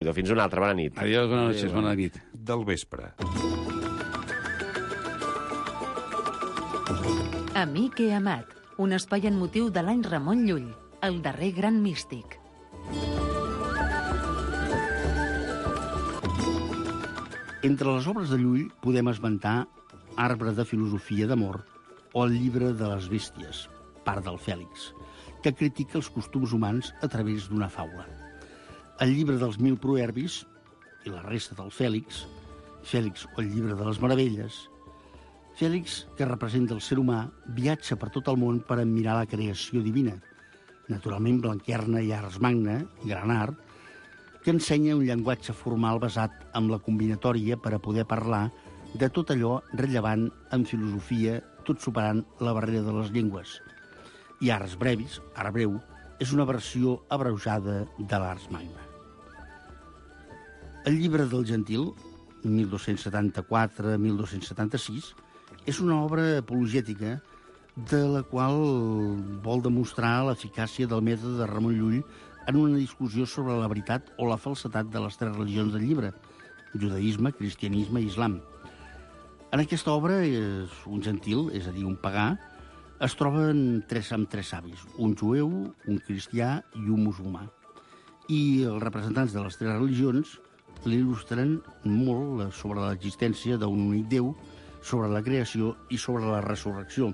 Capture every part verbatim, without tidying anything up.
Fins una altra, bona nit. Adiós, bona nit, bona nit. Del vespre. Amic he amat, un espai en motiu de l'any Ramon Llull, el darrer gran místic. Entre les obres de Llull podem esmentar Arbre de filosofia d'amor o el llibre de les bèsties, part del Fèlix, que critica els costums humans a través d'una faula. El llibre dels mil proverbis i la resta del Fèlix, Fèlix o el llibre de les meravelles. Fèlix, que representa el ser humà, viatja per tot el món per admirar la creació divina. Naturalment, Blanquerna i Ars Magna, gran art, que ensenya un llenguatge formal basat en la combinatòria per a poder parlar de tot allò rellevant en filosofia, tot superant la barrera de les llengües. I Ars Brevis, art breu, és una versió abreujada de l'Ars Magna. El llibre del Gentil, mil dos-cents setanta-quatre a mil dos-cents setanta-sis, és una obra apologètica de la qual vol demostrar l'eficàcia del mètode de Ramon Llull en una discussió sobre la veritat o la falsedat de les tres religions del llibre, judaïsme, cristianisme i islam. En aquesta obra, és un gentil, és a dir, un pagà, es troben tres, amb tres savis, un jueu, un cristià i un musulmà. I els representants de les tres religions l'il·lustren molt sobre l'existència d'un únic Déu, sobre la creació i sobre la resurrecció.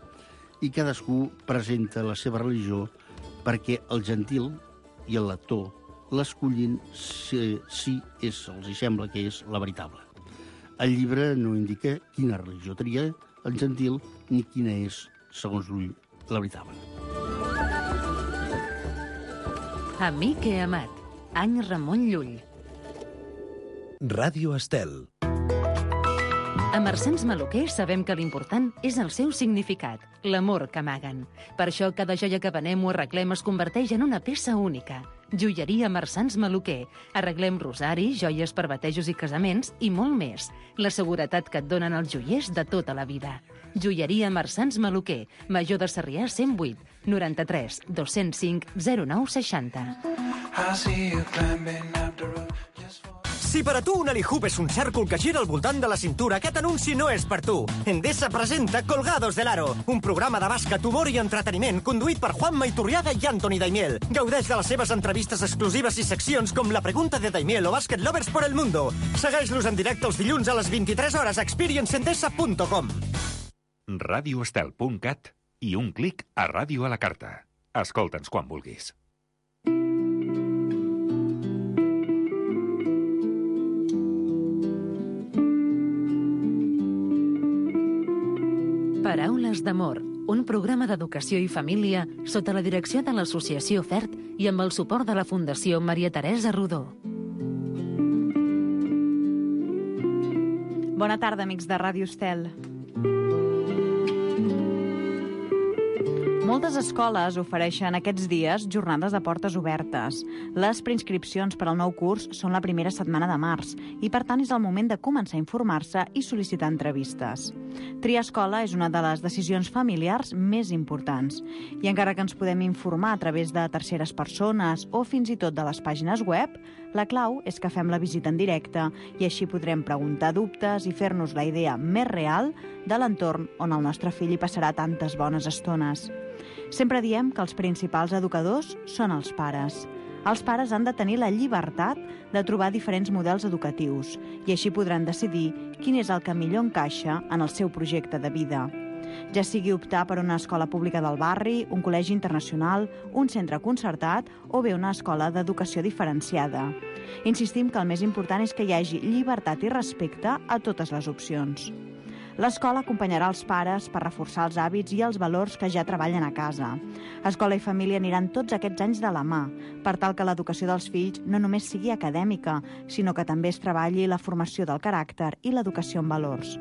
I cadascú presenta la seva religió perquè el gentil i el lector l'escollin si, si és, els hi sembla que és la veritable. El llibre no indica quina religió tria el gentil ni quina és, segons Llull, la veritable. Amic he amat, any Ramon Llull. Ràdio Estel. A Marsans Maluquer sabem que l'important és el seu significat, l'amor que amaguen. Per això cada joia que venem o arreglem es converteix en una peça única. Joieria Marsans Maluquer. Arreglem rosari, joies per batejos i casaments i molt més. La seguretat que et donen els joiers de tota la vida. Joieria Marsans Maluquer. Major de Sarrià cent vuit, noranta-tres, dos-cents cinc, zero nou seixanta. Si per a tu un Alihoop és un cèrcol que gira al voltant de la cintura, aquest anunci no és per tu. Endesa presenta Colgados del Aro, un programa de bàsquet, humor i entreteniment conduït per Juanma Iturriaga i Anthony Daimiel. Gaudeix de les seves entrevistes exclusives i seccions com La Pregunta de Daimiel o Basket Lovers por el Mundo. Segueix-los en directe els dilluns a les vint-i-tres hores a experience endesa punt com. radioestel punt cat i un clic a Ràdio a la Carta. Escolta'ns quan vulguis. Paraules d'amor, un programa d'educació i família sota la direcció de l'Associació FERT i amb el suport de la Fundació Maria Teresa Rodó. Bona tarda, amics de Ràdio Estel. Moltes escoles ofereixen aquests dies jornades de portes obertes. Les preinscripcions per al nou curs són la primera setmana de març i, per tant, és el moment de començar a informar-se i sol·licitar entrevistes. Triar escola és una de les decisions familiars més importants. I encara que ens podem informar a través de terceres persones o fins i tot de les pàgines web, la clau és que fem la visita en directe i així podrem preguntar dubtes i fer-nos la idea més real de l'entorn on el nostre fill hi passarà tantes bones estones. Sempre diem que els principals educadors són els pares. Els pares han de tenir la llibertat de trobar diferents models educatius i així podran decidir quin és el que millor encaixa en el seu projecte de vida. Ja sigui optar per una escola pública del barri, un col·legi internacional, un centre concertat o bé una escola d'educació diferenciada. Insistim que el més important és que hi hagi llibertat i respecte a totes les opcions. L'escola acompanyarà els pares per reforçar els hàbits i els valors que ja treballen a casa. Escola i família aniran tots aquests anys de la mà, per tal que l'educació dels fills no només sigui acadèmica, sinó que també es treballi la formació del caràcter i l'educació en valors.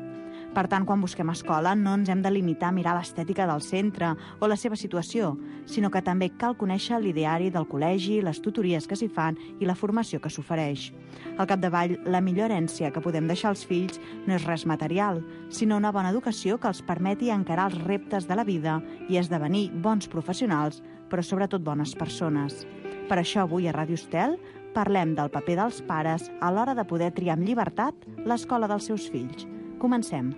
Per tant, quan busquem escola, no ens hem de limitar a mirar l'estètica del centre o la seva situació, sinó que també cal conèixer l'ideari del col·legi, les tutories que s'hi fan i la formació que s'ofereix. Al capdavall, la millor herència que podem deixar als fills no és res material, sinó una bona educació que els permeti encarar els reptes de la vida i esdevenir bons professionals, però sobretot bones persones. Per això avui a Ràdio Estel parlem del paper dels pares a l'hora de poder triar amb llibertat l'escola dels seus fills. Comencem.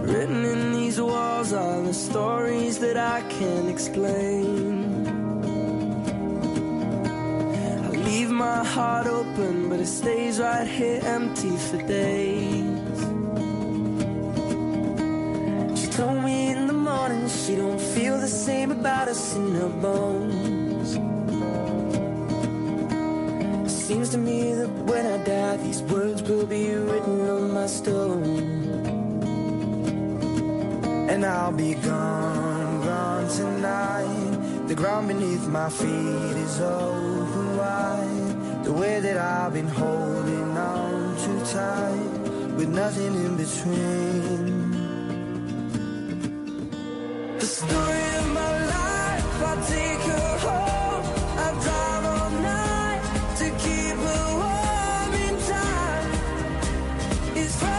Written in these walls are the stories that I can't explain. I leave my heart open, but it stays right here empty for days. She told me in the morning she don't feel the same about us in her bones. It seems to me that when I die, these words will be written on my stone. And I'll be gone, gone tonight. The ground beneath my feet is open wide. The way that I've been holding on too tight, with nothing in between. The story of my life, I take her home. I drive all night to keep her warm in time. It's frozen.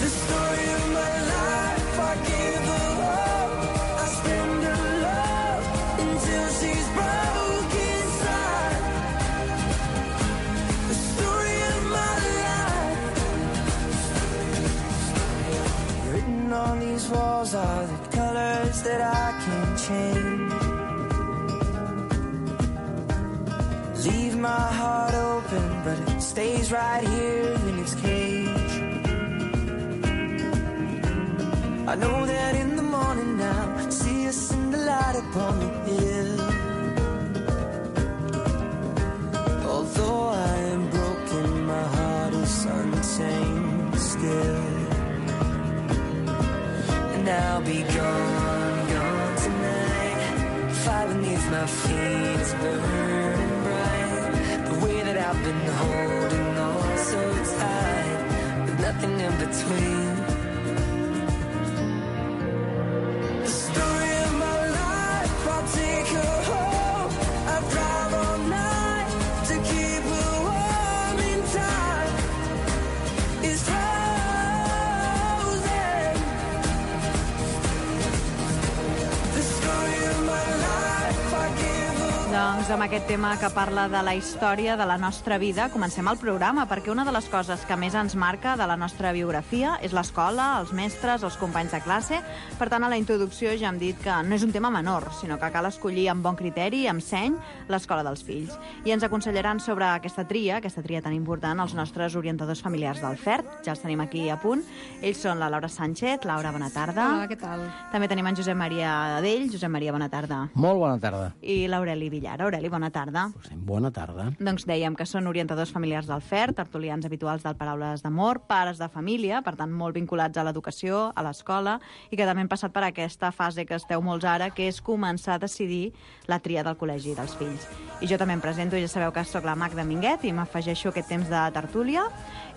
The story of my life, I give her hope. I spend her love until she's broke inside. The story of my life. Written on these walls are the colors that I can't change. Leave my heart open, but it stays right here in its cage. I know that in the morning now, see us in the light upon the hill. Although I am broken, my heart is untamed still. And I'll be gone, gone tonight. Fire beneath my feet is burning bright. The way that I've been holding on so tight, with nothing in between. The story of my life, I'll take her home. I drive all night to keep her warm in time. It's frozen. The story of my life, I give her. Doncs amb aquest tema que parla de la història de la nostra vida, comencem el programa, perquè una de les coses que més ens marca de la nostra biografia és l'escola, els mestres, els companys de classe. Per tant, a la introducció ja hem dit que no és un tema menor, sinó que cal escollir amb bon criteri i amb seny l'escola dels fills. I ens aconsellaran sobre aquesta tria, aquesta tria tan important, els nostres orientadors familiars del F E R T. Ja els tenim aquí a punt. Ells són la Laura Sánchez. Laura, bona tarda. Hola, què tal? També tenim en Josep Maria Adell. Josep Maria, bona tarda. Molt bona tarda. I l'Aureli Villar. Aureli, bona tarda. Bona tarda. Doncs dèiem que són orientadors familiars del F E R T, tertulians habituals del Paraules d'Amor, pares de família, per tant molt vinculats a l'educació, a l'escola, i que també han passat per aquesta fase que esteu molts ara, que és començar a decidir la tria del col·legi dels fills. I jo també em presento, ja sabeu que soc la Magda Minguet i m'afegeixo aquest temps de tertúlia,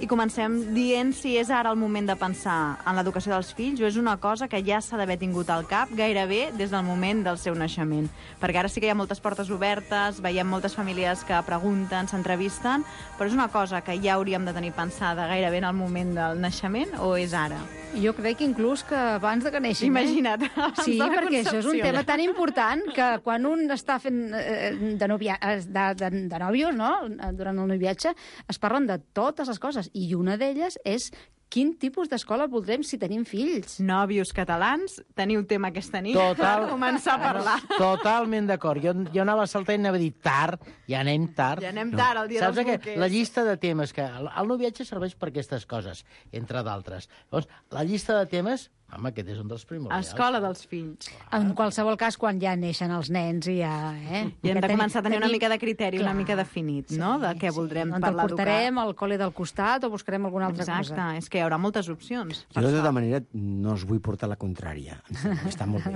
i comencem dient si és ara el moment de pensar en l'educació dels fills o és una cosa que ja s'ha d'haver tingut al cap gairebé des del moment del seu naixement. Perquè ara sí que hi ha moltes portes obertes, veiem moltes famílies que pregunten, s'entrevisten, però és una cosa que ja hauríem de tenir pensada gairebé en el moment del naixement o és ara? Jo crec que inclús que abans de que neixin. Imagina't. Eh? Sí, perquè això és un tema tan important que quan un està fent eh, de, novia, de, de, de nòvios, no?, durant el noviatge, es parlen de totes les coses, i una d'elles és quin tipus d'escola voldrem si tenim fills. Nòvios catalans, teniu tema aquesta nit Total, per començar a parlar. Totalment d'acord. Jo, jo anava saltant i anava a dir tard, ja anem tard. Ja anem tard, el dia Saps dels que bolquers. la llista de temes, que el, el noviatge serveix per aquestes coses, entre d'altres. Llavors, la llista de temes, home, aquest és un dels primordials. Escola dels fills. En qualsevol cas, quan ja neixen els nens i ja... Eh? I hem ja de tenim- començar a tenir una tenim- mica de criteri, Clar, una mica definit, no?, de què voldrem On parlar el portarem al col·le del costat o buscarem alguna altra Exacte, cosa. és que hi haurà moltes opcions. Jo, de tota manera, no us vull portar la contrària. Està molt bé.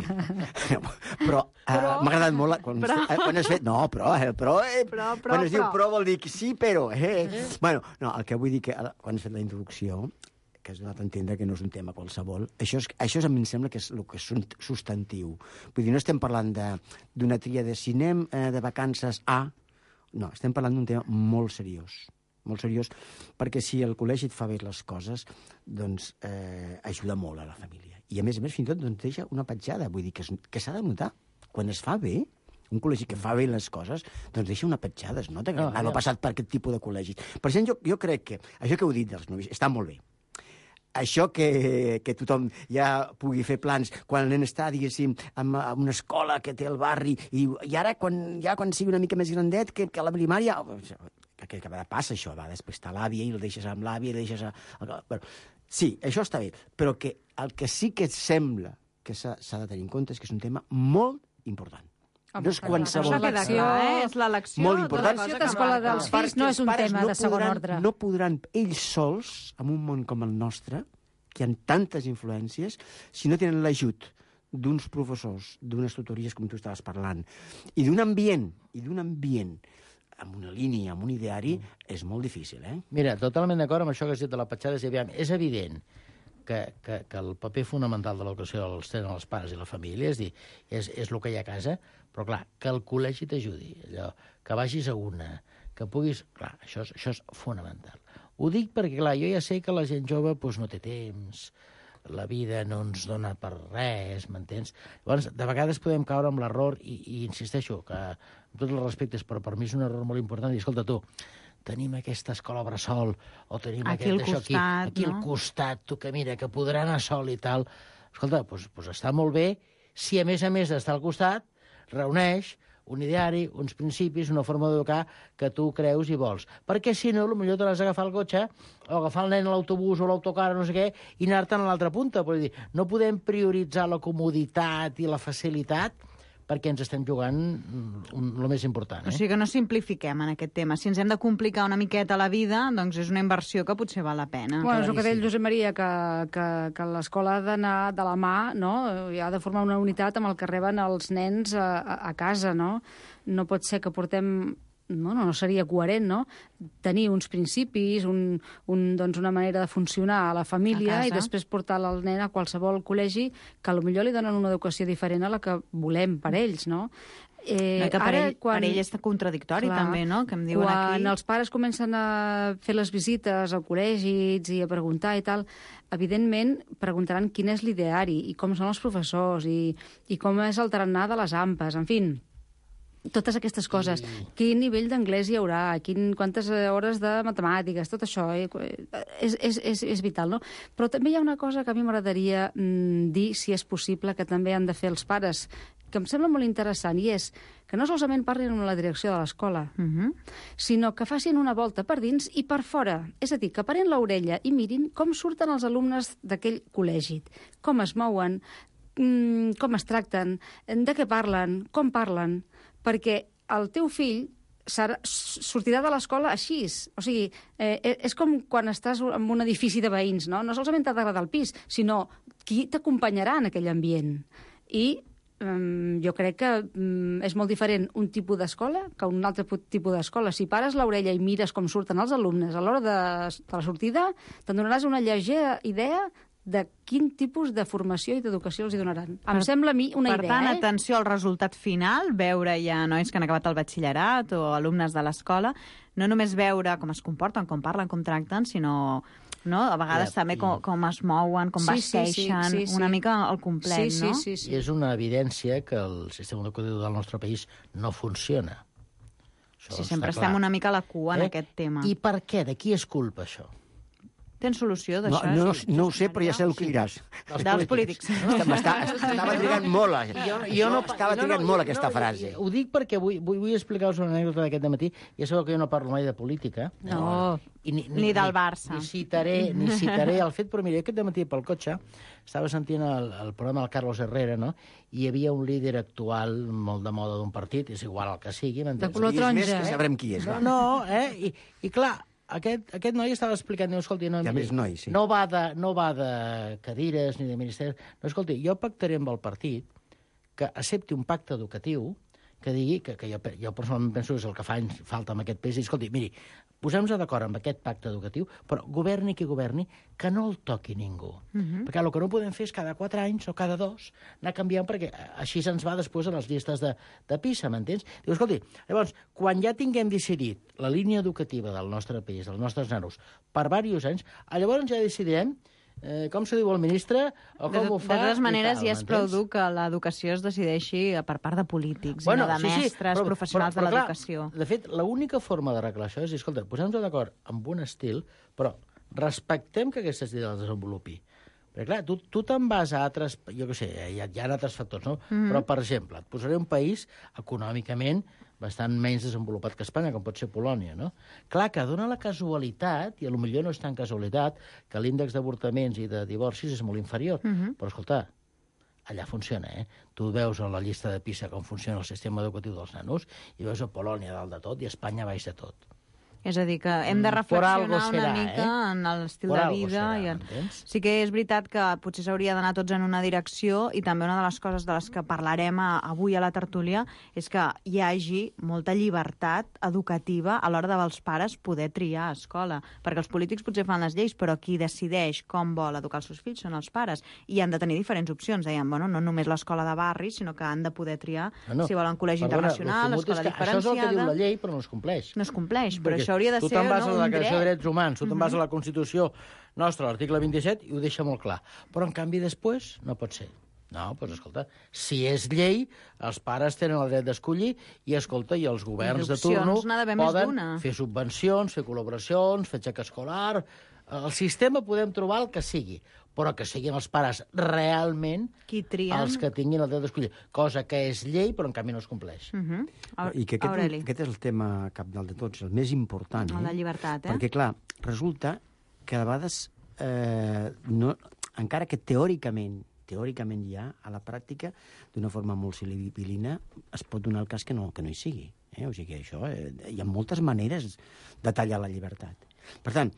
Però, però... Uh, m'ha agradat molt la- quan, Però. eh, quan has fet... No, però, eh, però, eh, Però, però, quan es diu però. però vol dir que sí, però... Eh. eh. Bueno, no, el que vull dir que ara, quan has fet la introducció, que has donat a entendre que no és un tema qualsevol, això, és, això és, a mi em sembla que és el que és un substantiu. Vull dir, no estem parlant d'una tria de si anem eh, de vacances a... No, estem parlant d'un tema molt seriós. molt seriós, perquè si el col·legi et fa bé les coses, doncs eh, ajuda molt a la família. I a més a més, fins i tot, doncs, deixa una petjada, vull dir que, que s'ha de notar quan es fa bé, un col·legi que fa bé les coses, doncs deixa una petjada, es nota que No, no, no ja. ha passat per aquest tipus de col·legis. Per això jo, jo crec que això que heu dit dels novis està molt bé. Això que, que tothom ja pugui fer plans quan el nen està, diguéssim, en, en una escola que té el barri, i, i ara, quan, ja quan sigui una mica més grandet, que, que a la primària... Que, que, que passa això, va, després està l'àvia i el deixes amb l'àvia i el deixes a... Bueno, sí, això està bé, però que el que sí que sembla que s'ha de tenir en compte és que és un tema molt important. No és qualsevol... Això queda clar, eh? És l'elecció Molt important. L'elecció d'escola dels fills no és un tema de segon ordre. No podran ells sols, en un món com el nostre, que hi ha tantes influències, si no tenen l'ajut d'uns professors, d'unes tutories, com tu estaves parlant, i d'un ambient, i d'un ambient amb una línia, amb un ideari, és molt difícil, eh? Mira, totalment d'acord amb això que has dit de la petjada. És, aviam, és evident que, que, que el paper fonamental de l'educació els tenen els pares i la família, és dir, és, és el que hi ha a casa, però clar, que el col·legi t'ajudi, allò, que vagis a una, que puguis... Clar, això és, això és fonamental. Ho dic perquè, clar, jo ja sé que la gent jove doncs, no té temps, la vida no ens dona per res, m'entens? Llavors, de vegades podem caure amb l'error, i, i insisteixo, que amb tots els respectes, però per mi és un error molt important, i escolta tu, tenim aquesta escola bressol, o tenim aquí aquest d'això aquí, costat, aquí no? al costat, tu que mira, que podrà anar sol i tal. Escolta, doncs, doncs està molt bé, si a més a més d'estar al costat, reuneix un ideari, uns principis, una forma d'educar que tu creus i vols. Perquè si no, potser te l'has d'agafar el cotxe o agafar el nen a l'autobús o l'autocar o no sé què i anar-te'n a l'altra punta. Vull dir, no podem prioritzar la comoditat i la facilitat perquè ens estem jugant el més important. Eh? O sigui que no simplifiquem en aquest tema. Si ens hem de complicar una miqueta la vida, doncs és una inversió que potser val la pena. Bueno, és el que deia el Josep Maria, que, que, que l'escola ha d'anar de la mà, no? I ha de formar una unitat amb el que reben els nens a, a, a casa, no? No pot ser que portem... No, no, no seria coherent, no? Tenir uns principis, un, un, doncs una manera de funcionar a la família i després portar el nen a qualsevol col·legi que potser li donen una educació diferent a la que volem per ells, no? Eh, no, que per, ara, ell, quan... per ell és contradictori, clar, també, no? Que em diuen quan aquí... Quan els pares comencen a fer les visites al col·legi i a preguntar i tal, evidentment preguntaran quin és l'ideari i com són els professors i, i com és el tarannà de les ampes, en fi, totes aquestes coses. I... Quin nivell d'anglès hi haurà, quin, quantes hores de matemàtiques, tot això eh? és, és, és, és vital, no? Però també hi ha una cosa que a mi m'agradaria mm, dir, si és possible, que també han de fer els pares, que em sembla molt interessant, i és que no solament parlin amb la direcció de l'escola, Uh-huh. sinó que facin una volta per dins i per fora. És a dir, que paren l'orella i mirin com surten els alumnes d'aquell col·legi, com es mouen, mm, com es tracten, de què parlen, com parlen, perquè el teu fill serà, sortirà de l'escola així. O sigui, eh, és com quan estàs en un edifici de veïns, no? No solament t'ha d'agradar el pis, sinó qui t'acompanyarà en aquell ambient. I um, jo crec que um, és molt diferent un tipus d'escola que un altre tipus d'escola. Si pares l'orella i mires com surten els alumnes a l'hora de, de la sortida, te'n donaràs una lleugera idea de quin tipus de formació i d'educació els hi donaran. Em Per, sembla a mi una per idea, tant, eh? atenció al resultat final, veure ja nois que han acabat el batxillerat o alumnes de l'escola, no només veure com es comporten, com parlen, com tracten, sinó no? A vegades ja, també com, com es mouen, com sí, vesteixen, sí, sí, sí, una sí. mica al complet, sí, sí, no? Sí, sí, I és una evidència que el sistema educatiu del nostre país no funciona. Això Sí, sempre està estem clar. una mica a la cua en Eh? aquest tema. I per què? De qui és culpa, això? Tens solució No, d'això? no, Sí, no ho sé, però ja sé el que diràs. Dels polítics. M'està- Estava trigant molt. A... Jo, jo no, Estava trigant no, no, molt jo- aquesta no, frase. Ho dic perquè vull, vull, vull explicar-vos una anècdota d'aquest matí. Ja sabeu que jo no parlo mai de política. No, I ni, ni del Barça. Ni citaré, ni citaré el fet, però mira, aquest matí pel cotxe estava sentint el, el programa del Carlos Herrera, no? I hi havia un líder actual molt de moda d'un partit, és igual el que sigui, m'entens? De color Diguis més taronja. que sabrem qui és. No, va. no, eh? I, i clar, aquest, aquest noi estava explicant, diu, escolti, no, Hi ha miri, més nois, sí. no, va de, no va de cadires ni de ministeris. No, escolti, jo pactaré amb el partit que accepti un pacte educatiu que digui, que, que jo, jo personalment penso que és el que fa anys falta amb aquest país, i escolti, miri, posem-nos d'acord amb aquest pacte educatiu, però governi qui governi, que no el toqui ningú. Uh -huh. Perquè el que no podem fer és cada quatre anys o cada dos anar canviant, perquè així se'ns va després a les llistes de, de PISA, m'entens? Diu, escolti, llavors, quan ja tinguem decidit la línia educativa del nostre país, dels nostres nanos, per diversos anys, llavors ja decidirem eh, com se diu el ministre, o com de, ho fa... De totes maneres, tal, ja és prou m'entens? dur que l'educació es decideixi per part de polítics, Bueno, i no de sí, sí, mestres, però- professionals però- però de clar, l'educació. De fet, l'única forma d'arreglar això és dir, escolta, posem-nos d'acord amb un estil, però respectem que aquesta estil el desenvolupi. Perquè, clar, tu, tu te'n vas a altres... Jo què sé, hi ha, hi ha altres factors, no? Mm-hmm. Però, per exemple, et posaré un país econòmicament bastant menys desenvolupat que Espanya, com pot ser Polònia, no? Clar, que dona la casualitat, i potser no és tan casualitat, que l'índex d'avortaments i de divorcis és molt inferior. Mm-hmm. Però, escolta, allà funciona, eh? Tu veus a la llista de PISA com funciona el sistema educatiu dels nanos i veus a Polònia dalt de tot i a Espanya baix de tot. És a dir, que hem de Mm, reflexionar por algo una serà, mica eh? en l'estil Por de algo vida. serà, I en... m'entens? Sí que és veritat que potser s'hauria d'anar tots en una direcció, i també una de les coses de les que parlarem a, avui a la tertúlia és que hi hagi molta llibertat educativa a l'hora dels pares poder triar escola. Perquè els polítics potser fan les lleis, però qui decideix com vol educar els seus fills són els pares. I han de tenir diferents opcions. Deien, bueno, no només l'escola de barri, sinó que han de poder triar No, no. si volen col·legi Perdona, internacional, lo fumut escola és que això és el que diu diferenciada. la llei, però no es compleix. No es compleix, però Perquè això hauria de tu ser te'n vas no, a la un Declaració de dret. Drets Humans, tu te'n vas a la Constitució nostra, l'article vint-i-set, i ho deixa molt clar. Però, en canvi, després no pot ser. No, doncs, escolta, si és llei, els pares tenen el dret d'escollir i, escolta, i els governs de d'opcions turno n'ha d'haver més poden d'una. fer subvencions, fer col·laboracions, fer xec escolar... El sistema podem trobar el que sigui, però que siguin els pares realment Qui trien... els que tinguin el dret d'escollir. Cosa que és llei, però en canvi no es compleix. Uh -huh. I que aquest, Aureli. aquest és el tema cabdal de tots, el més important. Eh? La llibertat, eh? Perquè, clar, resulta que a vegades, eh, no, encara que teòricament teòricament ja, a la pràctica, d'una forma molt sibilina, es pot donar el cas que no, que no hi sigui. Eh? O sigui, això, eh, hi ha moltes maneres de tallar la llibertat. Per tant,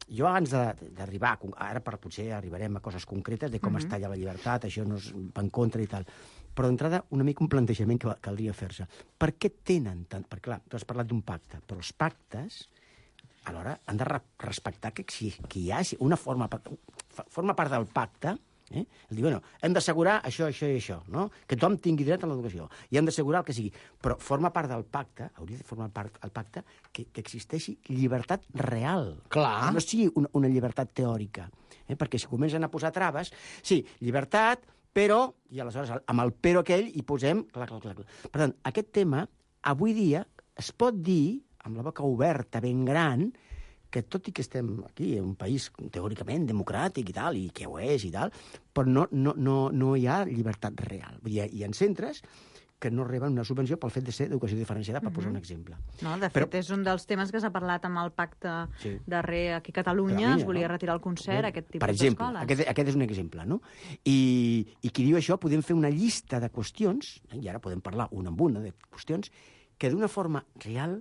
jo abans d'arribar, ara per potser arribarem a coses concretes de com uh-huh. es talla la llibertat, això no és en contra i tal, però d'entrada una mica un plantejament que caldria fer-se. Per què tenen tant... Perquè clar, tu has parlat d'un pacte, però els pactes alhora han de respectar que, si, que hi ha una forma, forma part del pacte, eh? El dir, bueno, hem d'assegurar això, això i això, no? Que tothom tingui dret a l'educació, i hem d'assegurar el que sigui, però forma part del pacte, hauria de formar part del pacte, que, que existeixi llibertat real. Clar. Que no sigui una, una llibertat teòrica, eh? Perquè si comencen a posar traves, sí, llibertat, però, i aleshores amb el però aquell hi posem... Clar, clar, clar. Per tant, aquest tema, avui dia, es pot dir, amb la boca oberta, ben gran, que tot i que estem aquí, en un país teòricament democràtic i tal, i que ho és i tal, però no, no, no, no hi ha llibertat real. Vull dir, hi ha centres que no reben una subvenció pel fet de ser d'educació diferenciada, per uh-huh. posar un exemple. No, de fet, però... és un dels temes que s'ha parlat amb el pacte sí. darrer aquí a Catalunya, Catalunya es volia no? retirar el concert, aquest tipus d'escoles. Per exemple, aquest, aquest és un exemple, no? I, I qui diu això, podem fer una llista de qüestions, i ara podem parlar una amb una de qüestions, que d'una forma real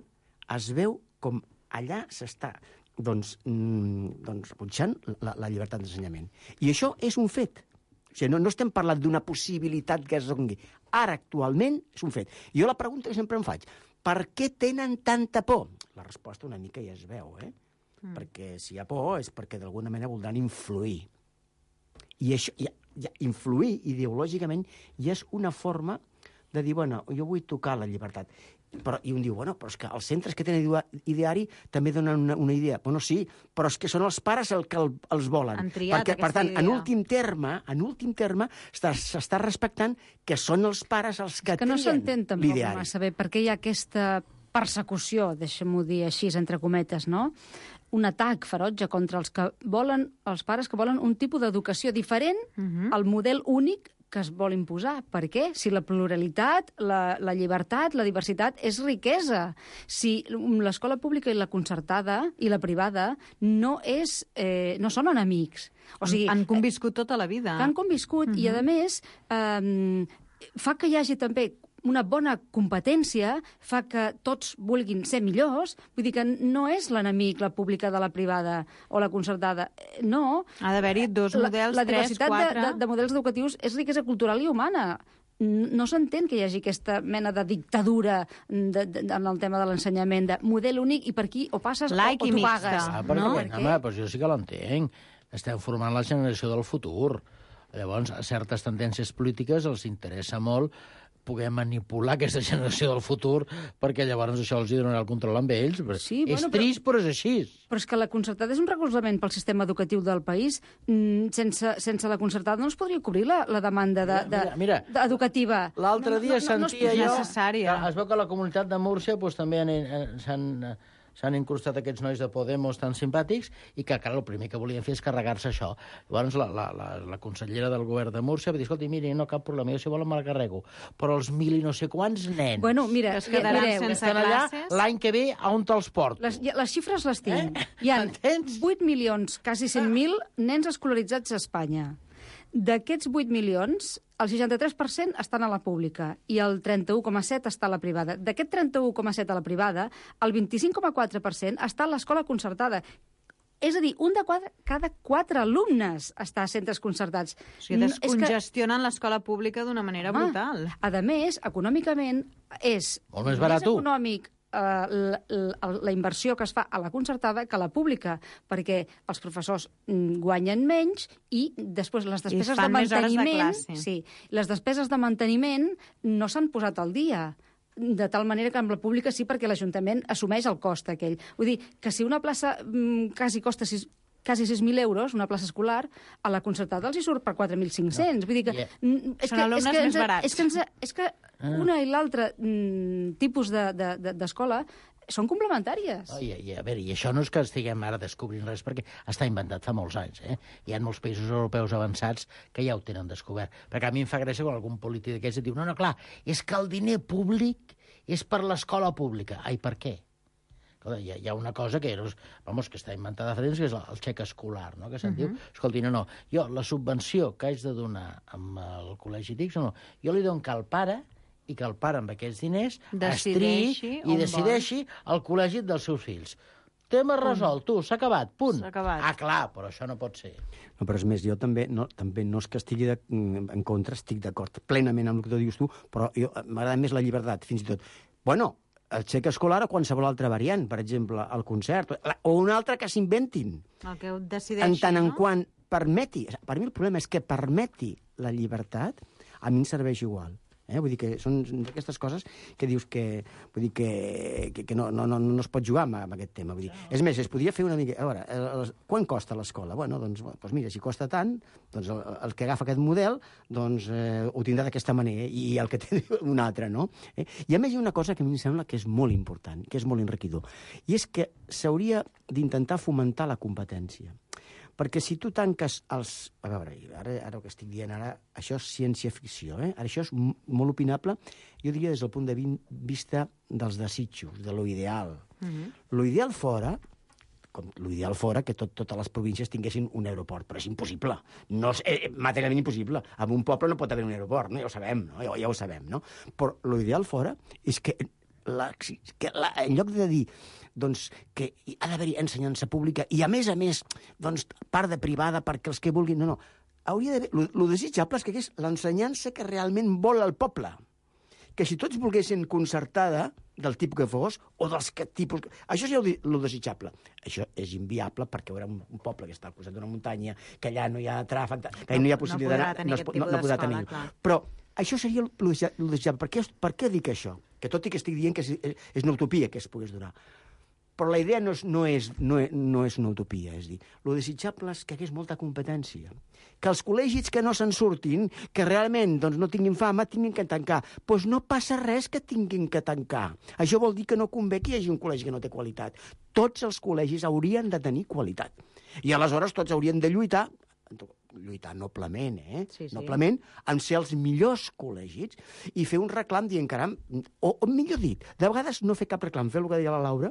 es veu com allà s'està doncs, mm, doncs rebutjant la, la llibertat d'ensenyament. I això és un fet. O sigui, no, no estem parlant d'una possibilitat que es doni. Ara, actualment, és un fet. I jo la pregunta que sempre em faig, per què tenen tanta por? La resposta una mica ja es veu, eh? Mm. Perquè si hi ha por és perquè d'alguna manera voldran influir. I això, ja, ja, influir ideològicament ja és una forma de dir, bueno, jo vull tocar la llibertat. Però, i un diu, bueno, però és que els centres que tenen ideari també donen una, una idea. Bueno, sí, però és que són els pares el que el, els volen. Han triat Perquè, per tant, idea. en últim terme, en últim terme, s'està respectant que són els pares els que, que no trien s'entén tampoc l'ideari. massa bé per què hi ha aquesta persecució, deixem-ho dir així, entre cometes, no? Un atac ferotge contra els que volen, els pares que volen un tipus d'educació diferent uh-huh. al model únic que es vol imposar. Per què? Si la pluralitat, la, la llibertat, la diversitat és riquesa. Si l'escola pública i la concertada i la privada no, és, eh, no són enemics. O sigui, han conviscut tota la vida. Han conviscut uh-huh. i, a més, eh, fa que hi hagi també una bona competència, fa que tots vulguin ser millors, vull dir que no és l'enemic la pública de la privada o la concertada, no. Ha d'haver-hi dos models, la, la tres, diversitat quatre... de, de, de models educatius és riquesa cultural i humana. No s'entén que hi hagi aquesta mena de dictadura de, de, en el tema de l'ensenyament, de model únic i per aquí o passes like o, o tu pagues. Ah, perquè, no? Home, doncs jo sí que l'entenc. Estem formant la generació del futur. Llavors, a certes tendències polítiques els interessa molt poder manipular aquesta generació del futur, perquè llavors això els hi donarà el control amb ells. Sí, és bueno, trist, però... però és així. Però és que la concertada és un recolzament pel sistema educatiu del país. Sense, sense la concertada no es podria cobrir la, la demanda de, de, mira, mira, de, educativa. L'altre dia no, no, no, sentia no jo... necessària. Es veu que a la comunitat de Múrcia doncs, també s'han... s'han incrustat aquests nois de Podemos tan simpàtics i que, clar, el primer que volien fer és carregar-se això. Llavors, la, la, la, la consellera del govern de Múrcia va dir, escolti, miri, no cap problema, jo si volen me'l carrego, però els mil i no sé quants nens bueno, mira, es quedaran mireu, sense allà, classes... l'any que ve, a on te'ls porto? Les, les xifres les tinc. Eh? Hi ha Entens? vuit milions, quasi cent mil nens escolaritzats a Espanya. D'aquests vuit milions, el seixanta-tres per cent estan a la pública i el trenta-u coma set està a la privada. D'aquest trenta-u coma set a la privada, el vint-i-cinc coma quatre per cent està a l'escola concertada. És a dir, un de quatre, cada quatre alumnes està a centres concertats. O sigui, descongestionen que... l'escola pública d'una manera Home, brutal. A més, econòmicament, és molt més barat, més econòmic la, la, la inversió que es fa a la concertada que a la pública, perquè els professors guanyen menys i després les despeses de manteniment... De sí, les despeses de manteniment no s'han posat al dia, de tal manera que amb la pública sí, perquè l'Ajuntament assumeix el cost aquell. Vull dir, que si una plaça mm, quasi costa sis, quasi sis mil euros, una plaça escolar, a la concertada els hi surt per quatre mil cinc-cents. No. Vull dir que... Yeah. És Són que, alumnes és que més barats. És que, ens, és que una i l'altra mm, tipus d'escola de, de, són complementàries. Oh, i, i, a veure, i això no és que estiguem ara descobrint res, perquè està inventat fa molts anys. Eh? Hi ha molts països europeus avançats que ja ho tenen descobert. Perquè a mi em fa gràcia quan algun polític d'aquests diu no, no, clar, és que el diner públic és per l'escola pública. Ai, per què? Hi ha, hi ha una cosa que, vamos, que està inventada fa temps, que és el xec escolar, no? Que se'n uh -huh. diu, escolti, no, no, jo la subvenció que haig de donar amb el col·legi T I C, no, jo li dono que el pare i que el pare amb aquests diners decideixi i decideixi el col·legi dels seus fills. Tema resolt, tu, s'ha acabat, punt. S'ha acabat. Ah, clar, però això no pot ser. No, però és més, jo també no, també no és que estigui de, en contra, estic d'acord plenament amb el que tu dius tu, però m'agrada més la llibertat, fins i tot. Bueno, el xec escolar o qualsevol altra variant, per exemple, el concert, o una altra que s'inventin. El que decideixi, en tant no? en quant permeti, per mi el problema és que permeti la llibertat, a mi em serveix igual. Eh? Vull dir que són d'aquestes coses que dius que, vull dir que, que, que no, no, no, no es pot jugar amb, amb aquest tema. Vull dir, és més, es podria fer una mica... A veure, el, quan costa l'escola? Bueno, doncs, doncs mira, si costa tant, doncs el, el que agafa aquest model doncs, eh, ho tindrà d'aquesta manera i el que té un altre, no? Eh? I a més hi ha una cosa que a mi em sembla que és molt important, que és molt enriquidor, i és que s'hauria d'intentar fomentar la competència. Perquè si tu tanques els... A veure, ara, ara el que estic dient ara, això és ciència-ficció, eh? Ara això és molt opinable, jo diria des del punt de vista dels desitjos, de lo ideal. Uh-huh. Lo ideal fora, com l'ideal fora que tot, totes les províncies tinguessin un aeroport, però és impossible. No és eh, materialment impossible. En un poble no pot haver un aeroport, no? Ja ho sabem, no? Ja, ja ho sabem, no? Però l'ideal fora és que, la, que la, en lloc de dir doncs, que ha d'haver-hi ensenyança pública i, a més a més, doncs, part de privada perquè els que vulguin... No, no. Hauria d'haver... El desitjable és que és l'ensenyança que realment vol el poble. Que si tots volguessin concertada, del tipus que fos, o dels que tipus... Això és el desitjable. Això és inviable perquè hi haurà un, un poble que està al costat d'una muntanya, que allà no hi ha tràfic, que no hi ha possibilitat... No, no, no podrà tenir. Però això seria el desitjable. Per què, per què dic això? Que tot i que estic dient que és, és una utopia que es pogués donar. Però la idea no és, no és, no és, no és una utopia, és dir, el desitjable és que hi hagués molta competència, que els col·legis que no se'n surtin, que realment doncs, no tinguin fama, tinguin que tancar. Doncs pues no passa res que tinguin que tancar. Això vol dir que no convé que hi hagi un col·legi que no té qualitat. Tots els col·legis haurien de tenir qualitat. I aleshores tots haurien de lluitar, lluitar noblement, eh? Sí, sí. Noblement, en ser els millors col·legis i fer un reclam dient, caram, o, o millor dit, de vegades no fer cap reclam, fer el que deia la Laura,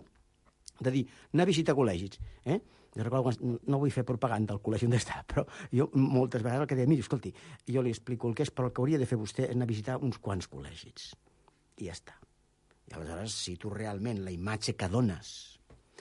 de dir, anar a visitar col·legis. Eh? Jo recordo, no vull fer propaganda al col·legi on està, però jo moltes vegades el que deia, miri, escolti, jo li explico el que és, però el que hauria de fer vostè és anar a visitar uns quants col·legis. I ja està. I aleshores, si tu realment la imatge que dones,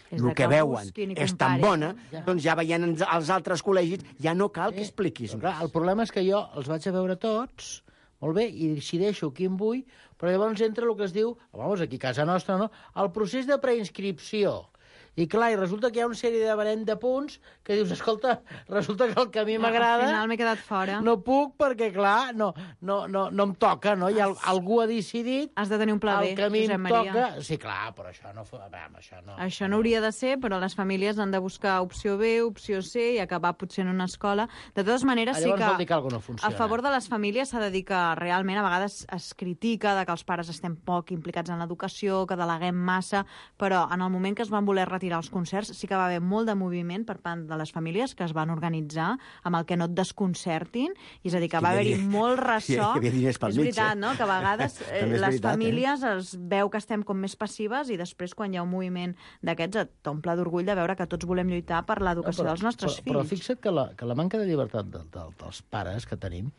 el que veuen és tan bona, doncs ja veient els altres col·legis, ja no cal que expliquis. Clar, el problema és que jo els vaig a veure tots, molt bé, i decideixo quin vull, però llavors entra el que es diu, vamos, aquí a casa nostra, no?, el procés de preinscripció. I clar, i resulta que hi ha una sèrie de barem de punts que dius, escolta, resulta que el que a mi m'agrada... Al final m'he quedat fora. No puc perquè, clar, no, no, no, no em toca, no? I el, algú ha decidit... Has de tenir un pla B, el que a mi Josep em Maria. toca... Sí, clar, però això no... Vam, això no, Això no hauria de ser, però les famílies han de buscar opció B, opció C i acabar potser en una escola. De totes maneres, sí Llavors que, vol dir que alguna no funciona. A favor de les famílies s'ha de dir que realment a vegades es critica de que els pares estem poc implicats en l'educació, que deleguem massa, però en el moment que es van voler retirar els concerts sí que va haver molt de moviment per part de les famílies que es van organitzar amb el que no et desconcertin, i és a dir, que va haver-hi molt ressò. Hi havia diners pel És veritat, no?, que a vegades eh, les veritat, famílies eh? es veu que estem com més passives i després quan hi ha un moviment d'aquests et t'omple d'orgull de veure que tots volem lluitar per l'educació no, però, dels nostres però, fills. Però fixa't que la, que la manca de llibertat de, de, dels pares que tenim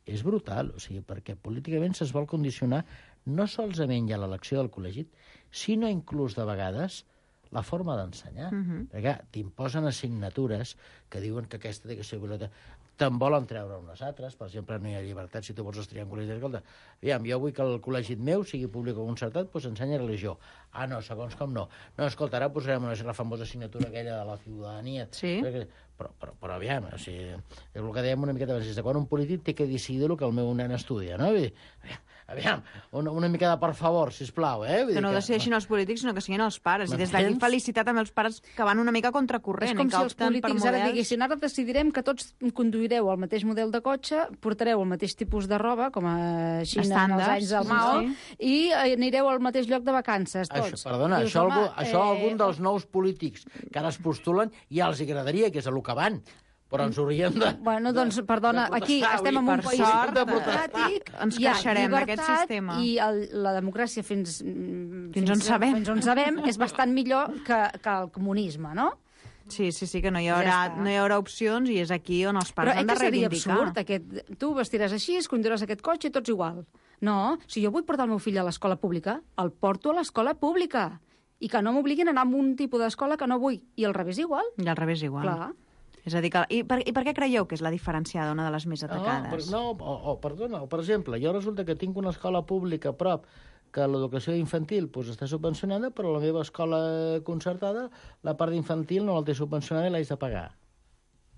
és brutal, o sigui, perquè políticament se'ls vol condicionar no solament ja l'elecció del col·legi, sinó inclús de vegades la forma d'ensenyar. Uh -huh. Perquè t'imposen assignatures que diuen que aquesta té que ser obligatòria. Te'n volen treure unes altres, per exemple, no hi ha llibertat si tu vols estudiar en col·legi. Escolta, aviam, jo vull que el col·legi meu sigui públic o concertat, doncs ensenya religió. Ah, no, segons com no. No, escolta, ara posarem una, la famosa assignatura aquella de la ciutadania. Sí. Però, però, però aviam, o sigui, és el que dèiem una miqueta abans, des de quan un polític té que decidir el que el meu nen estudia, no? Vull dir, aviam, una, una mica de per favor, sisplau, eh? Vull Que no dir decideixin els polítics, sinó que siguin els pares. I des d'aquí felicitar també els pares que van una mica contracorrent. És com i que si els opten per polítics ara models... diguessin ara decidirem que tots conduireu el mateix model de cotxe, portareu el mateix tipus de roba, com a Xina en els anys del Mao, sí, i anireu al mateix lloc de vacances, tots. Això, perdona, Dius, això, home, algú, això eh... algun dels nous polítics que ara es postulen ja els agradaria, que és el que van. Però ens hauríem de... Bueno, doncs, perdona, de aquí protestar, estem en un per país sort, democràtic, ens hi ha queixarem d'aquest llibertat sistema. i el, la democràcia fins, Fins on sabem. fins on sabem és bastant millor que, que el comunisme, no? Sí, sí, sí, que no hi haurà, Ja està. no hi haurà opcions i és aquí on els pares Però han eh de que seria reivindicar. absurd, aquest... tu vestiràs així, conduiràs aquest cotxe i tots igual. No, si jo vull portar el meu fill a l'escola pública, el porto a l'escola pública. I que no m'obliguin a anar a un tipus d'escola que no vull. I al revés igual. I al revés igual. Clar. És a dir, que... I, per, I per què creieu que és la diferenciada, una de les més atacades? No, per, no o, o, perdona, o per exemple, jo resulta que tinc una escola pública a prop que l'educació infantil pues, està subvencionada, però la meva escola concertada, la part d'infantil no la té subvencionada i l'haig de pagar.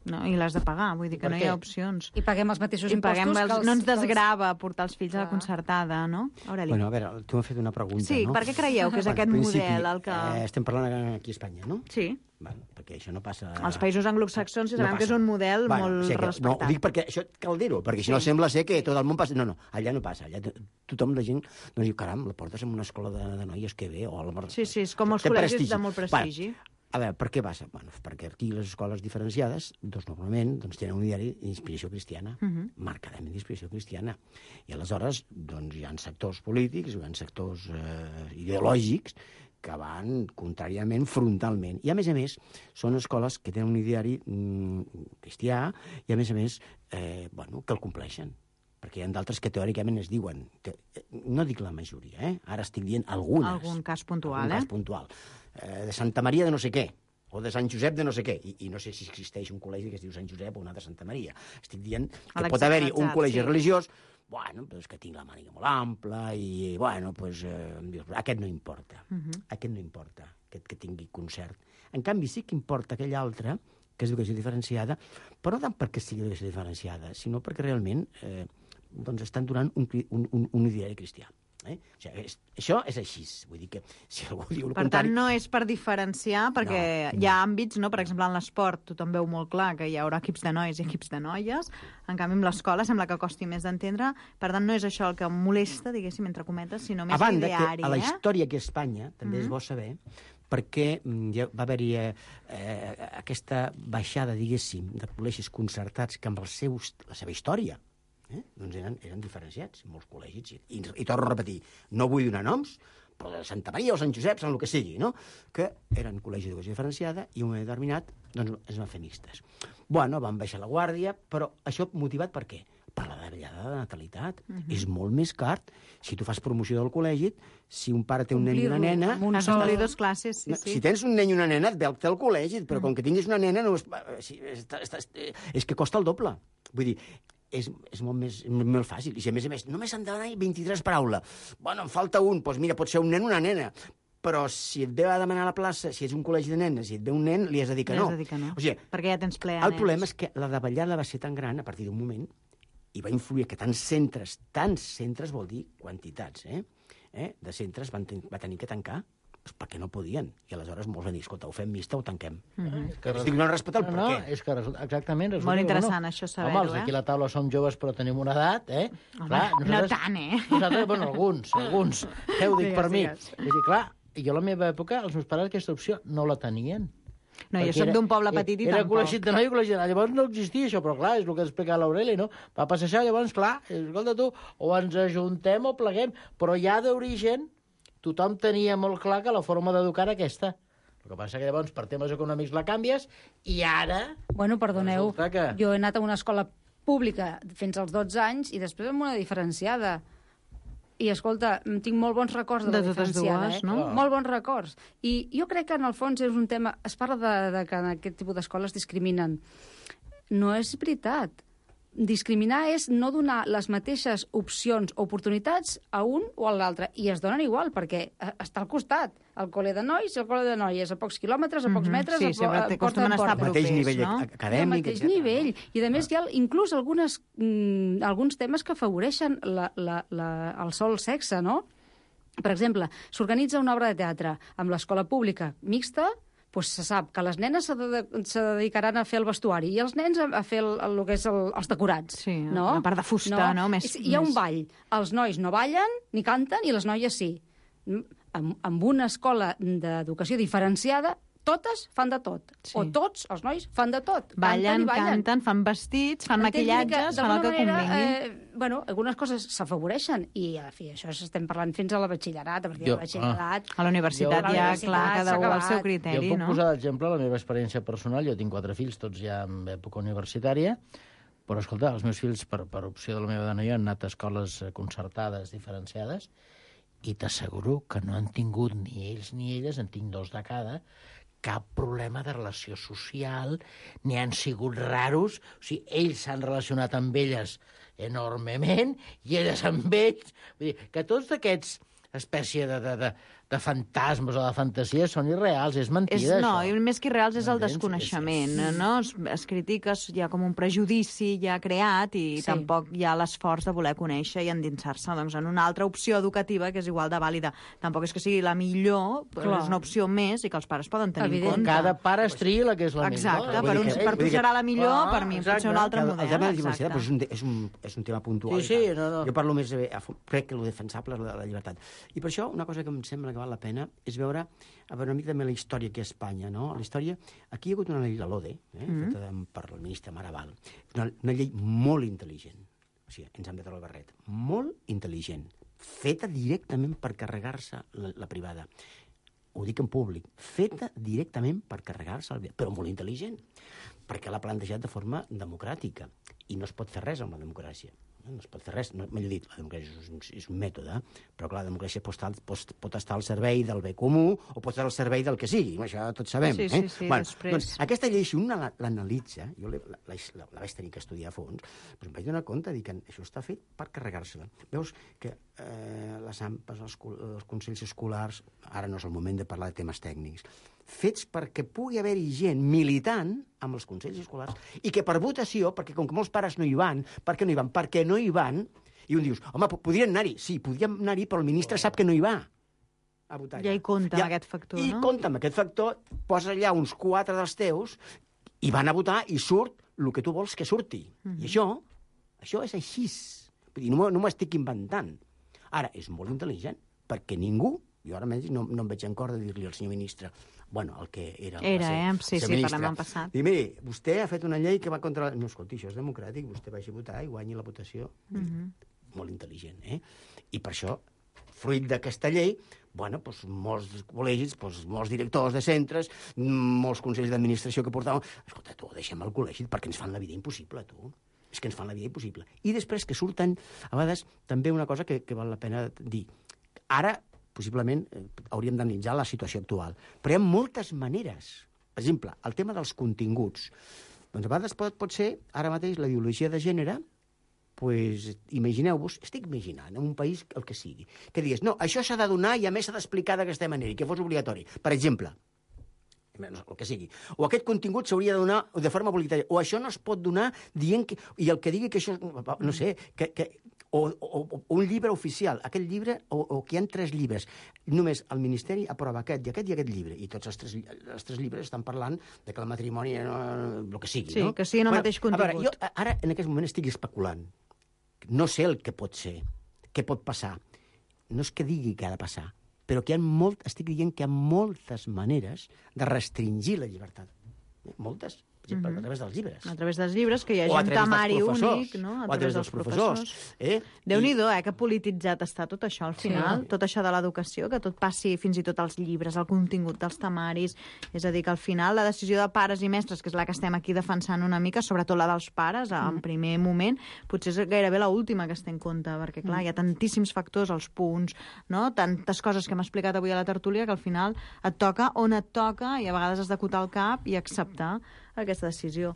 No, i l'has de pagar, vull dir que Per no què? hi ha opcions. I paguem els mateixos I impostos paguem els, que els... no ens que els- desgrava portar els fills a la Clar. concertada, no? Aureli. Bueno, a veure, tu m'has fet una pregunta, Sí, no? per què creieu que és Bueno, aquest en principi, model el que... Eh, estem parlant aquí a Espanya, no? Sí. Bueno, perquè això no passa... Els països anglosaxons sí sabem passa. que és un model bueno, molt o sigui que, respectat. No, ho dic perquè això cal dir-ho, perquè si no sembla ser que tot el món passa... No, no, allà no passa. Allà tothom, la gent, no diu, caram, la portes en una escola de, de noies, que bé, o a la... Sí, sí, és com els Té col·legis prestigi. de molt prestigi. Bueno, a veure, per què passa? Bueno, perquè aquí les escoles diferenciades, doncs normalment doncs, tenen un diari d'inspiració cristiana, uh -huh. marcadament d'inspiració cristiana. I aleshores doncs, hi ha sectors polítics, hi ha sectors eh, ideològics que van contràriament, frontalment. I, a més a més, són escoles que tenen un ideari mm, cristià i, a més a més, eh, bueno, que el compleixen. Perquè hi ha d'altres que teòricament es diuen... Que, no dic la majoria, eh? Ara estic dient algunes. Algun cas puntual, algun eh? cas puntual. Eh, de Santa Maria de no sé què, o de Sant Josep de no sé què, i, i no sé si existeix un col·legi que es diu Sant Josep o un altre Santa Maria. Estic dient que pot haver-hi un col·legi sí. religiós, bueno, doncs que tinc la màniga molt ampla i, bueno, doncs, eh, aquest no importa. Uh -huh. Aquest no importa, aquest que tingui concert. En canvi, sí que importa aquell altre, que és educació diferenciada, però no tant perquè sigui educació diferenciada, sinó perquè realment eh, doncs estan donant un, un, un, un ideari cristià. Eh? O sigui, és, això és així. Vull dir que si algú diu el Per contrari... tant, no és per diferenciar, perquè No, hi ha àmbits, no? Per exemple, en l'esport tothom veu molt clar que hi haurà equips de nois i equips de noies, en canvi amb l'escola sembla que costi més d'entendre, per tant no és això el que molesta, diguéssim, entre cometes, sinó més a banda, ideari, que a la eh? història que a Espanya també mm -hmm. és bo saber perquè ja va haver-hi eh, aquesta baixada, diguéssim, de col·legis concertats que amb els seus, la seva història eh, doncs eren, eren diferenciats, molts col·legis. I, i, i torno a repetir, no vull donar noms, però de Santa Maria o Sant Josep, Sant el que sigui, no? Que eren col·legis d'educació diferenciada i un moment determinat doncs, es van fer mixtes. Bueno, van baixar la guàrdia, però això motivat per què? Per la davallada de natalitat. Uh -huh. És molt més car si tu fas promoció del col·legi, si un pare té un nen i una nena... Has d'omplir dos classes, sí, No, sí. si tens un nen i una nena, et veu al col·legi, però com que tinguis una nena, no és, és, és, és que costa el doble. Vull dir, és, és molt més molt fàcil. I si, a més a més, només han d'anar vint-i-tres per aula. Bueno, en falta un, doncs mira, pot ser un nen o una nena. però si et ve a demanar a la plaça, si ets un col·legi de nenes i et ve un nen, li has de dir que no. Li has de dir que no. O sigui, perquè ja tens ple a el nens. problema és que la davallada va ser tan gran a partir d'un moment i va influir que tants centres, tants centres vol dir quantitats, eh? eh? de centres van, ten va tenir que tancar pues perquè no podien. I aleshores molts van dir, escolta, ho fem mixta o tanquem. Mm -hmm. que Estic donant respecte al per no, què. No, és que resulta, exactament... Resulta, Molt interessant, bueno, això saber-ho, home, els eh? aquí a la taula som joves però tenim una edat, eh? Home, clar, no tant, eh? Nosaltres, bueno, alguns, alguns. Eh, ho dic Digues, per mi. digues. És dir, clar, jo a la meva època, els meus pares aquesta opció no la tenien. No, jo Perquè soc era- d'un poble petit i Era tampoc. col·legi de noi i col·legi de noi. Llavors no existia això, però clar, és el que explica l'Aureli, no? Va passar això, llavors, clar, escolta tu, o ens ajuntem o pleguem, però ja d'origen tothom tenia molt clar que la forma d'educar era aquesta. El que passa que llavors per temes econòmics la canvies i ara... Bueno, perdoneu, Resulta que- jo he anat a una escola pública fins als dotze anys i després amb una diferenciada. I, escolta, tinc molt bons records de, De la totes diferenciada, dues, eh? no? Molt bons records. I jo crec que, en el fons, és un tema... Es parla de, de que en aquest tipus d'escoles discriminen. No és veritat. Discriminar és no donar les mateixes opcions o oportunitats a un o a l'altre. I es donen igual, perquè eh, està al costat. El col·le de nois i el col·le de noies, a pocs quilòmetres, a pocs metres, Sí, a, po sempre a té- porta acostumen a a estar porta. El mateix propers, nivell no? ac- Al acadèmic, mateix etcètera. nivell. I, a més, hi ha inclús algunes, mm, alguns temes que afavoreixen la, la, la, el sol sexe, no? Per exemple, s'organitza una obra de teatre amb l'escola pública mixta, doncs se sap que les nenes se, de, se dedicaran a fer el vestuari i els nens a, a fer el, el, el que és el, els decorats. Sí, no? la part de fusta, no? Més- És- Hi ha un més- ball. Els nois no ballen ni canten i les noies sí. Amb, amb una escola d'educació diferenciada, totes fan de tot. Sí. O tots, els nois, fan de tot. Ballen, canten i ballen. canten, fan vestits, fan Entens? Vull dir maquillatges, que, fan el que d'alguna manera, convingui. Eh, bueno, algunes coses s'afavoreixen i, en fi, això estem parlant fins a la batxillerat, a partir Jo- del batxillerat... A la universitat Jo- ja, A la clar, universitat cada s'ha un al acabat. seu Jo criteri, puc no? posar d'exemple la meva experiència personal. Jo tinc quatre fills, tots ja en època universitària, però, escolta, els meus fills, per, per opció de la meva dona i jo, han anat a escoles eh, concertades, diferenciades, i t'asseguro que no han tingut ni ells ni elles, en tinc dos de cada, cap problema de relació social, ni han sigut raros. O sigui, ells s'han relacionat amb elles enormement i elles amb ells. Vull dir, que tots aquests espècie de, de, de, de fantasmes o de fantasies són irreals, és mentida, És, no, això. i més que irreals és el Entens? desconeixement, És- és- no? Es, es critica, hi ha com un prejudici ja creat i Sí. tampoc hi ha l'esforç de voler conèixer i endinsar-se doncs, en una altra opció educativa que és igual de vàlida. Tampoc és que sigui la millor, però Clar. és una opció més i que els pares poden tenir Evident. en compte. Cada pare es triï la que és la Exacte, millor. per, Vull dir uns, que- per vull tu dir que- serà la millor, Ah, per mi pot ser exacte. un altre El, model. el tema de la diversitat exacte. doncs, és, un, te- és, un, és un tema puntual. Sí, i sí, tal. no, no. Jo parlo més, de, crec que el defensable és la, la llibertat. I per això una cosa que em sembla que val la pena és veure, a veure una mica també la història que a Espanya, no? La història, aquí hi ha hagut una llei, la LODE, eh, mm -hmm. feta de, per el ministre Maragall, una, una llei molt intel·ligent, o sigui, ens hem de treure el barret, molt intel·ligent, feta directament per carregar-se la, la privada. Ho dic en públic, feta directament per carregar-se el bé, però molt intel·ligent, perquè l'ha plantejat de forma democràtica, i no es pot fer res amb la democràcia. No es pot fer res, no, millor dit, la democràcia és un, és un mètode, però clar, la democràcia pot estar, pot, pot estar al servei del bé comú o pot estar al servei del que sigui, això tots sabem. Sí, eh? sí, sí, bueno, després. doncs, aquesta llei, si un la- l'analitza, jo la, la, la, la vaig tenir que estudiar a fons, doncs em vaig donar compte de que això està fet per carregar-se-la. Veus que eh, les AMPAs, els, els consells escolars, ara no és el moment de parlar de temes tècnics, fets perquè pugui haver-hi gent militant amb els consells escolars i que per votació, perquè com que molts pares no hi van, per què no hi van? Perquè no hi van, i un dius, home, podrien anar-hi, sí, podríem anar-hi, però el ministre sap que no hi va a votar. Ja hi compta amb aquest factor, I no? compta amb aquest factor, posa allà uns quatre dels teus i van a votar i surt el que tu vols que surti. Mhm. I això, això és així. Vull dir, no m'ho no m'ho estic inventant. Ara, és molt intel·ligent, perquè ningú, jo ara menys no, no em veig en cor de dir-li al senyor ministre, bueno, el que era... el Era, va ser, eh? el Sí, senyor sí, ministre. parlem en passat. Dic, miri, vostè ha fet una llei que va contra... No, escolti, això és democràtic, vostè vagi a votar i guanyi la votació. Mhm. Molt intel·ligent, eh? I per això, fruit d'aquesta llei, bueno, doncs, molts col·legis, doncs, molts directors de centres, molts consells d'administració que portaven... Escolta, tu, deixem el col·legi perquè ens fan la vida impossible, tu. És que ens fan la vida impossible. I després que surten, a vegades, també una cosa que, que val la pena dir. Ara, possiblement, eh, hauríem d'analitzar la situació actual. Però hi ha moltes maneres. Per exemple, el tema dels continguts. Doncs a vegades pot, pot ser, ara mateix, la ideologia de gènere pues, imagineu-vos, estic imaginant, en un país el que sigui, que digués, no, això s'ha de donar i a més s'ha d'explicar d'aquesta manera, i que fos obligatori. Per exemple, el que sigui. O aquest contingut s'hauria de donar de forma obligatòria. O això no es pot donar dient que... I el que digui que això... No sé, que... que o, o, o un llibre oficial. Aquest llibre, o, o que hi ha tres llibres. Només el Ministeri aprova aquest i aquest i aquest llibre. I tots els tres, els tres llibres estan parlant de que el matrimoni... No, el que sigui, sí, no? Sí, que sigui en el bueno, mateix contingut. A veure, jo ara, en aquest moment, estic especulant. No sé el que pot ser, què pot passar. No és que digui que ha de passar, però que hi ha molt, estic dient que hi ha moltes maneres de restringir la llibertat. Moltes. Per exemple, uh-huh. a través dels llibres. A través dels llibres, que hi hagi un temari únic, no? A través dels professors. Eh? Déu-n'hi-do, eh, que polititzat està tot això al final, sí. Tot això de l'educació, que tot passi fins i tot als llibres, al contingut dels temaris. És a dir, que al final la decisió de pares i mestres, que és la que estem aquí defensant una mica, sobretot la dels pares, en mm. primer moment, potser és gairebé l'última que es té en compte, perquè, clar, mm. hi ha tantíssims factors, els punts, no? Tantes coses que hem explicat avui a la tertúlia, que al final et toca on et toca i a vegades has d'acotar el cap i acceptar aquesta decisió.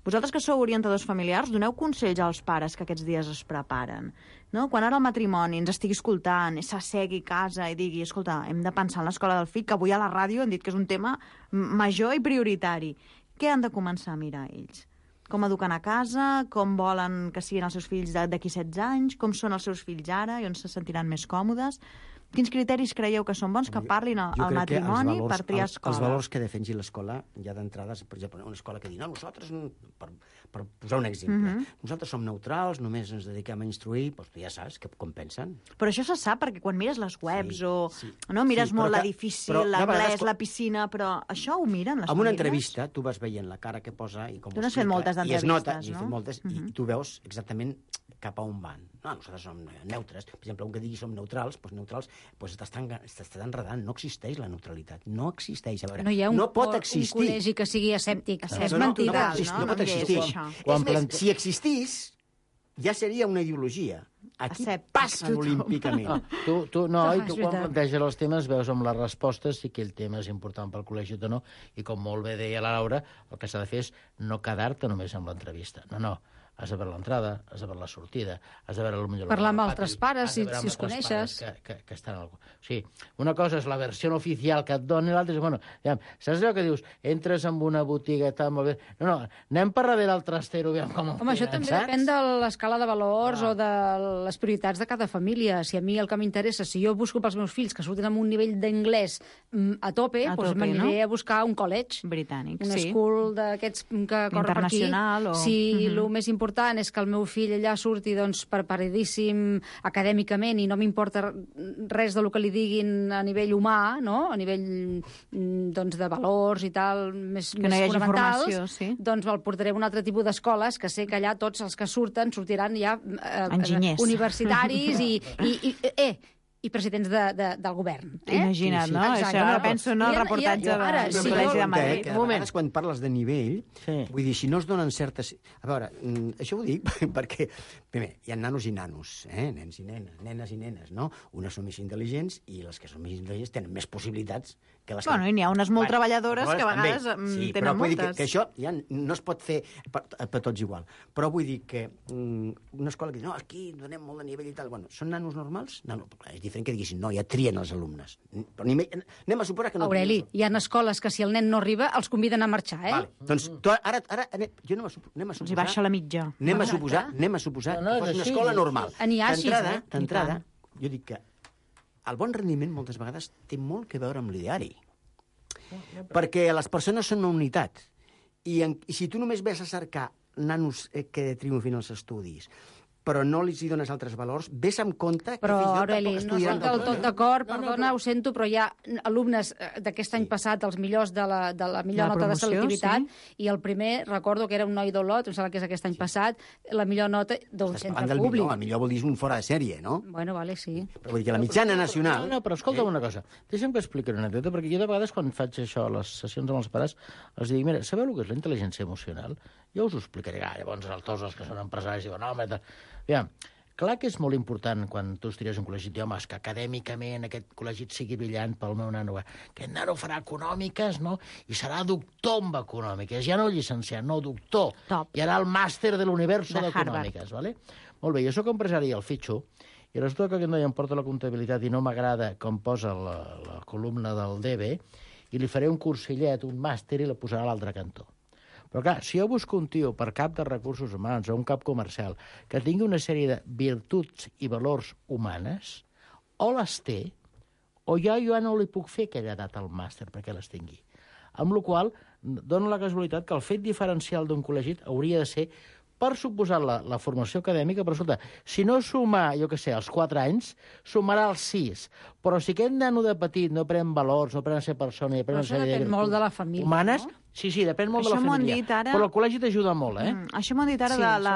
Vosaltres que sou orientadors familiars, doneu consells als pares que aquests dies es preparen. No? Quan ara el matrimoni ens estigui escoltant, s'assegui a casa i digui, escolta, hem de pensar en l'escola del fill, que avui a la ràdio han dit que és un tema major i prioritari. Què han de començar a mirar ells? Com eduquen a casa, com volen que siguin els seus fills d'aquí setze anys, com són els seus fills ara i on se sentiran més còmodes? Quins criteris creieu que són bons que parlin al, al matrimoni valors, per triar escola? Els valors que defensi l'escola, ja d'entrada, per exemple, una escola que diu, no, nosaltres, per, per posar un exemple, uh-huh. nosaltres som neutrals, només ens dediquem a instruir, doncs tu ja saps que, com pensen. Però això se sap, perquè quan mires les webs sí, o sí, no mires sí, molt que, l'edifici, l'anglès, la piscina, però això ho miren les famílies? En una famílies? entrevista, tu vas veient la cara que posa i com tu n'has fet moltes d'entrevistes, nota, no? Fet moltes, uh-huh. I tu veus exactament cap a on van. No, nosaltres som neutres. Per exemple, un que digui som neutrals, doncs neutrals doncs t'està enredant. No existeix la neutralitat. No existeix. A veure, no hi ha un, no pot existir. un col·legi que sigui escèptic. No, és no, mentida. No, no, no, no pot existir. És més, si existís, ja seria una ideologia. Aquí passen olímpicament. No, tu, tu, no, i tu quan planteges els temes veus amb les respostes si aquell tema és important pel col·legi o no, i com molt bé deia la Laura, el que s'ha de fer és no quedar-te només amb l'entrevista. No, no. Has de veure l'entrada, has de veure la sortida, has de veure... Potser parlar amb altres pares, si, si els coneixes. Que, que, que estan al... O sigui, una cosa és la versió oficial que et dona i l'altra és... Bueno, ja, saps allò que dius? Entres en una botiga, tal, molt bé... No, no, anem per darrere el trastero, aviam com ho Home, això també saps? depèn de l'escala de valors ah. o de les prioritats de cada família. Si a mi el que m'interessa, si jo busco pels meus fills que surtin amb un nivell d'anglès a tope, a doncs m'aniré no? a buscar un college. Britànic, un sí. Un school d'aquests que corre per aquí. Internacional o... Si uh-huh. el més important és que el meu fill allà surti doncs, preparadíssim acadèmicament i no m'importa res del que li diguin a nivell humà, no? A nivell doncs, de valors i tal, més, que no més fonamentals, sí. doncs el portaré a un altre tipus d'escoles que sé que allà tots els que surten sortiran ja eh, universitaris i, i, i eh, i presidents de, de, del govern. Eh? Imagina't, sí, sí. no? Exacte. Això no penso en el reportatge de, ara, del sí, Col·legi de Madrid. Que a vegades quan parles de nivell, sí. vull dir, si no es donen certes... A veure, això ho dic perquè, primer, hi ha nanos i nanos, eh? Nens i nenes, nenes i nenes, no? Unes són més intel·ligents i les que són més intel·ligents tenen més possibilitats que les que... Bueno, i n'hi ha unes molt bueno, treballadores que a vegades també. Sí, tenen però vull moltes. dir que, que això ja no es pot fer per, per tots igual. Però vull dir que um, una escola que diu, no, aquí donem molt de nivell i tal, bueno, són nanos normals? No, no, és diferent que diguessin, no, hi ha trien els alumnes. Però anem a suposar que no... Aureli, hi ha escoles que si el nen no arriba els conviden a marxar, eh? Vale. Doncs tu, ara, ara anem, jo anem a, anem a suposar... Els hi baixa la mitja. Anem a suposar, anem a suposar no, no, que fos una escola normal. N'hi ha així, eh? D'entrada, jo dic que el bon rendiment moltes vegades té molt que veure amb l'ideari. Perquè les persones són una unitat. I, en, i si tu només ves a cercar nanos que triomfin els estudis, però no li dones altres valors, ves amb compte que però, fins i tot Aureli, tampoc no estic del tot d'acord, no, perdona, no, però... ho sento, però hi ha alumnes d'aquest any sí. passat, els millors de la, de la millor la nota promoció, de selectivitat, sí. i el primer, recordo que era un noi d'Olot, em sembla que és aquest any sí. passat, la millor nota d'un centre públic. Millor, el millor vol dir un fora de sèrie, no? Bueno, vale, sí. Però vull dir que la mitjana nacional... No, no, però escolta'm eh? una cosa. Deixa'm que expliqui una anècdota, perquè jo de vegades quan faig això a les sessions amb els pares, els dic, mira, sabeu el que és la intel·ligència emocional? Jo us ho explicaré. Ah, llavors tots els que són empresaris diuen, no, home, aviam, clar que és molt important quan tu estries un col·legi d'homes que acadèmicament aquest col·legi sigui brillant pel meu nano. Aquest nano farà econòmiques, no? I serà doctor en econòmiques. Ja no llicenciat, no, doctor. Top. I harà el màster de l'univers d'econòmiques, vale? Molt bé, jo sóc empresari al fitxo, i resulta que aquest noi em porta la comptabilitat i no m'agrada com posa la, la columna del D B, i li faré un cursillet, un màster, i la posarà a l'altre cantó. Però clar, si jo busco un tio per cap de recursos humans o un cap comercial que tingui una sèrie de virtuts i valors humanes, o les té, o jo ja no li puc fer aquella edat al màster perquè les tingui. Amb la qual cosa, dona la casualitat que el fet diferencial d'un col·legi hauria de ser, per suposar la, la formació acadèmica, però escolta, si no suma, jo què sé, als quatre anys, sumarà als sis. Però si aquest nano de petit no pren valors, no pren a ser persona... I però això depèn molt de la família, humanes, no? Sí, sí, depèn molt això de la família. Ara... Però el col·legi t'ajuda molt, eh? Mm, això m'ho han dit ara sí, de la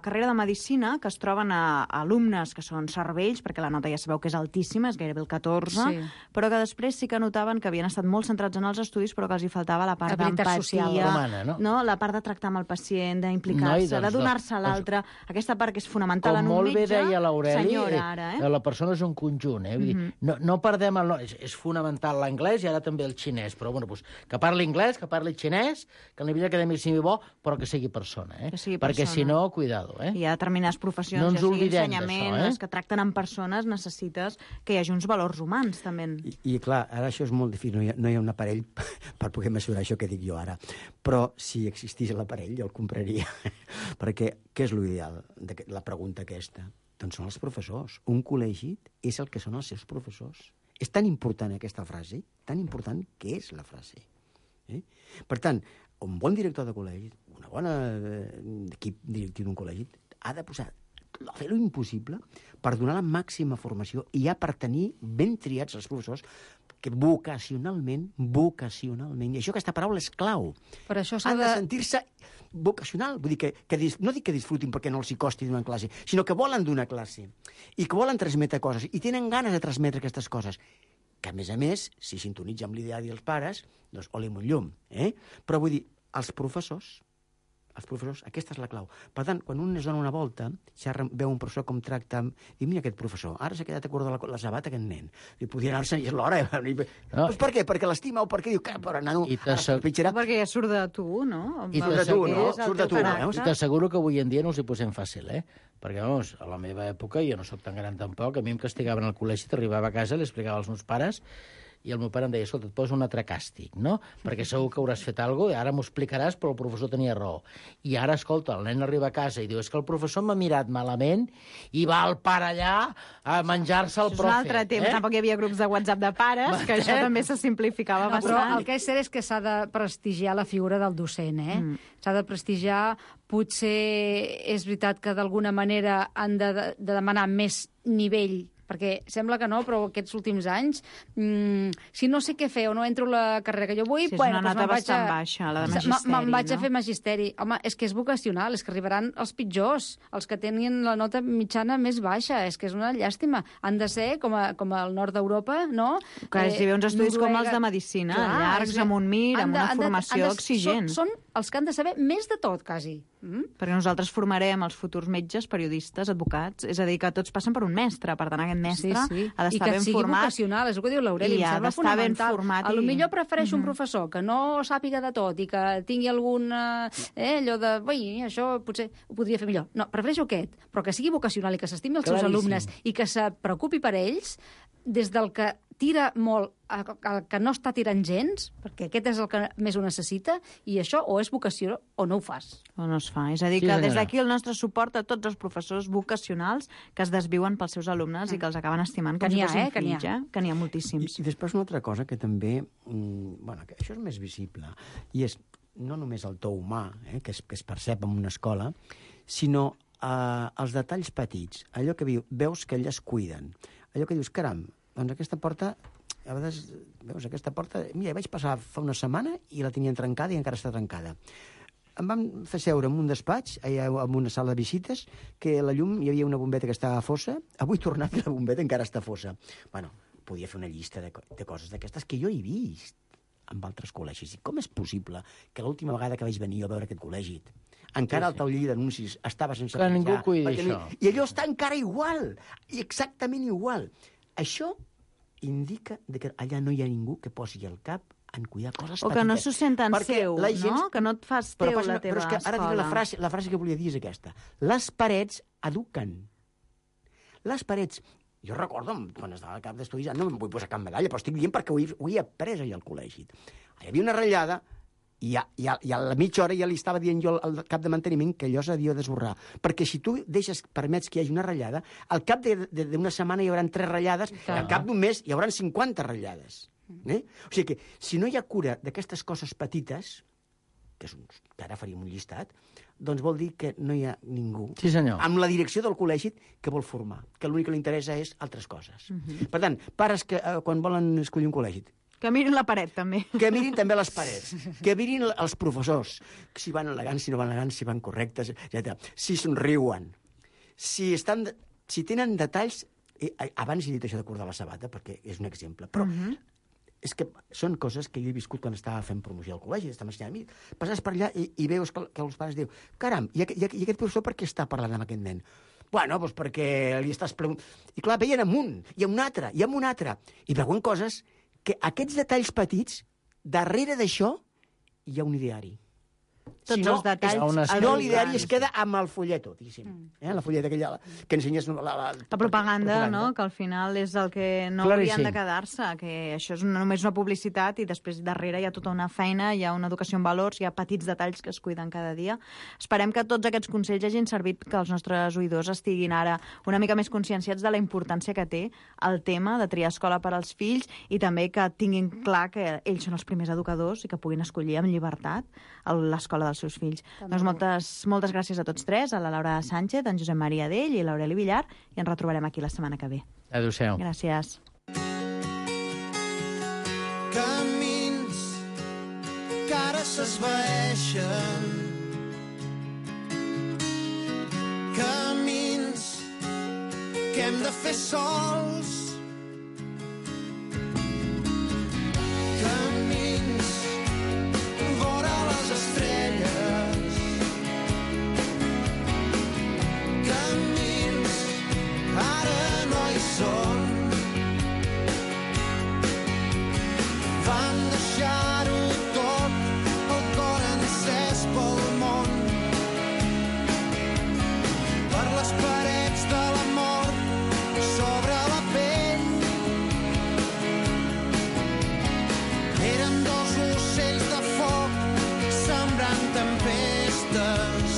carrera de Medicina, que es troben a, a alumnes que són cervells, perquè la nota ja sabeu que és altíssima, és gairebé el catorze, sí. Però que després sí que notaven que havien estat molt centrats en els estudis, però que els hi faltava la part d'empatia, no? no? La part de tractar amb el pacient, d'implicar-se, no, doncs, de donar-se a l'altre, aquesta part que és fonamental en un metge. Com molt bé deia l'Aureli, senyora, ara, eh? la persona és un conjunt, eh? Vull dir, mm-hmm. no, no perdem el... És, és fonamental l'anglès i ara també el xinès, però bueno, doncs, que parli anglès, que parli xinès, que el nivell acadèmic sigui bo, però que sigui persona, eh? Que sigui perquè persona. Si no, cuidado, eh? Hi ha determinades professions, no ja sigui ensenyament, eh? les que tracten amb persones, necessites que hi hagi uns valors humans, també. I, i clar, ara això és molt difícil, no hi ha, no hi ha un aparell per poder mesurar això que dic jo ara, però si existís l'aparell jo el compraria, perquè què és l'ideal de la pregunta aquesta? Doncs són els professors. Un col·legi és el que són els seus professors. És tan important aquesta frase, tan important que és la frase. Eh? Per tant, un bon director de col·legi, una bona eh, equip directiu d'un col·legi, ha de posar, fer l'impossible per donar la màxima formació i ja per tenir ben triats els professors que vocacionalment, vocacionalment, i això, aquesta paraula és clau. Per això han de, de sentir-se vocacional, vull dir que, que no dic que disfrutin perquè no els hi costi donar classe, sinó que volen donar classe i que volen transmetre coses i tenen ganes de transmetre aquestes coses. Que, a més a més, si sintonitza amb l'ideari dels pares, doncs oli amb un llum, eh? Però vull dir, els professors, els professors, aquesta és la clau. Per tant, quan un es dona una volta, ja veu un professor com tracta, i mira aquest professor, ara s'ha quedat a córrer de la, la sabata aquest nen. I podria anar-se'n, i és l'hora. No. Doncs per què? Perquè l'estima o perquè diu que, però nano, pitjarà. Perquè ja surt de tu, no? I surt de tu, no? Surt de tu, no? I t'asseguro que avui en dia no els hi posem fàcil, eh? Perquè, vamos, a la meva època, jo no sóc tan gran tampoc, a mi em castigaven al col·legi, t'arribava a casa, li explicava als meus pares, i el meu pare em deia, escolta, et poso un altre càstig, no? Perquè segur que hauràs fet alguna cosa, ara m'ho explicaràs, però el professor tenia raó. I ara, escolta, el nen arriba a casa i diu, és que el professor m'ha mirat malament i va el pare allà a menjar-se el profe. És un altre temps, eh? Tampoc hi havia grups de WhatsApp de pares, que això també se simplificava no, bastant. Però el que és cert és que s'ha de prestigiar la figura del docent, eh? Mm. S'ha de prestigiar, potser és veritat que d'alguna manera han de, de demanar més nivell, perquè sembla que no, però aquests últims anys, mmm, si no sé què fer o no entro la carrera que jo vull, sí, és bueno, una nota doncs bastant a... baixa, la de magisteri, me'n vaig no? a fer magisteri. Home, és que és vocacional, és que arribaran els pitjors, els que tenien la nota mitjana més baixa, és que és una llàstima. Han de ser, com, a, com al nord d'Europa, no? Que eh, hi ha uns estudis Noruega... com els de Medicina, clar, llargs, amb un mir, amb de, una formació de, de, exigent. Són, són els que han de saber més de tot, quasi. Mm? Perquè nosaltres formarem els futurs metges, periodistes, advocats, és a dir, que tots passen per un mestre, per tant aquest mestre sí, sí. ha d'estar ben format. I que sigui vocacional, és el que diu l'Aureli, em sembla fonamental. A lo millor prefereixo mm-hmm. un professor que no sàpiga de tot i que tingui algun, eh, allò de, ui, això potser ho podria fer millor. No, prefereixo aquest, però que sigui vocacional i que s'estimi els seus alumnes i que se preocupi per ells, des del que tira molt al que no està tirant gens, perquè aquest és el que més ho necessita, i això o és vocació o no ho fas. O no es fa. És a dir, que sí, des d'aquí el nostre suport a tots els professors vocacionals que es desviuen pels seus alumnes mm. i que els acaben estimant com si fossin eh? fills, eh? Que n'hi ha moltíssims. I, I després una altra cosa que també, mm, bueno, que això és més visible, i és no només el to humà, eh, que, es, que es percep en una escola, sinó eh, els detalls petits, allò que viu, veus que elles cuiden, allò que dius, caram, doncs aquesta porta, a vegades, veus, aquesta porta, mira, vaig passar fa una setmana i la tenien trencada i encara està trencada. Em van fer seure en un despatx, allà en una sala de visites, que la llum, hi havia una bombeta que estava fossa, avui tornat i la bombeta encara està fossa. Bueno, podia fer una llista de, de coses d'aquestes que jo he vist amb altres col·legis. I com és possible que l'última vegada que vaig venir a veure aquest col·legi encara sí, sí. el taulell d'anuncis estava sense que ningú cuidi això. I allò està encara igual, i exactament igual. Això indica que allà no hi ha ningú que posi el cap en cuidar coses petites. O que no s'ho senten seu, gent... no? Que no et fas teu però, la teva però és que ara diré la frase, la frase que volia dir és aquesta. Les parets eduquen. Les parets... Jo recordo, quan estava al cap d'estudis, no em vull posar cap medalla, però estic dient perquè ho he, ho he après ahir al col·legi. Hi havia una ratllada i a, i, a, i a la mitja hora ja li estava dient jo al cap de manteniment que allò s'havia d'esborrar. Perquè si tu deixes, permets que hi hagi una ratllada, al cap d'una setmana hi haurà tres ratllades, i al cap d'un mes hi haurà cinquanta ratllades. Eh? O sigui que, si no hi ha cura d'aquestes coses petites, que, és un, que ara faríem un llistat, doncs vol dir que no hi ha ningú sí, senyor. amb la direcció del col·legi que vol formar, que l'únic que li interessa és altres coses. Uh-huh. Per tant, pares que eh, quan volen escollir un col·legi... Que mirin la paret, també. Que mirin també les parets, que mirin els professors, si van elegants, si no van elegants, si van correctes, etcètera. Si somriuen, si, estan, si tenen detalls... Eh, abans he dit això de cordar la sabata, perquè és un exemple, però... Uh-huh. És que són coses que jo he viscut quan estava fent promoció al col·legi, estava ensenyant a mi. Passes per allà i, i veus que, que els pares diuen caram, i, i, i aquest professor per què està parlant amb aquest nen? Bueno, doncs perquè li estàs preguntant... I clar, veien amunt, i un altre, i amb un altre. I veuen coses que aquests detalls petits, darrere d'això, hi ha un ideari. Tots si no, els detalls... Si no, l'ideari es queda amb el folleto, diguéssim. Eh? La folleta aquella que ensenyes... La, la, la, la propaganda, no?, que al final és el que no Claríssim. haurien de quedar-se, que això és una, només una publicitat i després darrere hi ha tota una feina, hi ha una educació en valors, hi ha petits detalls que es cuiden cada dia. Esperem que tots aquests consells hagin servit que els nostres oïdors estiguin ara una mica més conscienciats de la importància que té el tema de triar escola per als fills i també que tinguin clar que ells són els primers educadors i que puguin escollir amb llibertat l'escola dels seus fills. També. Doncs moltes, moltes gràcies a tots tres, a la Laura Sánchez, en Josep Maria Dell i l'Aureli Villar, i ens retrobarem aquí la setmana que ve. Adéu-siau. Gràcies. Camins que ara s'esvaeixen, camins que hem de fer sols, camins vora les estrelles, camins ara no hi són, van deixar-ho tot, el cor encès pel món, per les parets de l'amor sobre la pell. Eren dos ocells de foc sembrant tempestes.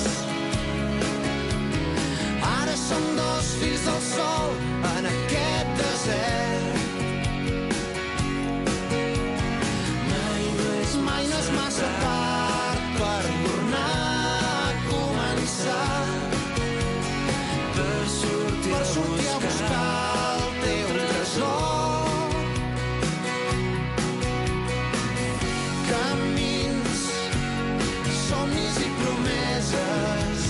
Ara som dos fills del sol en aquest desert. Mai no és, mai no és massa tard per tornar a començar, per sortir, per sortir a buscar el teu tresor. Camins, somnis i promeses,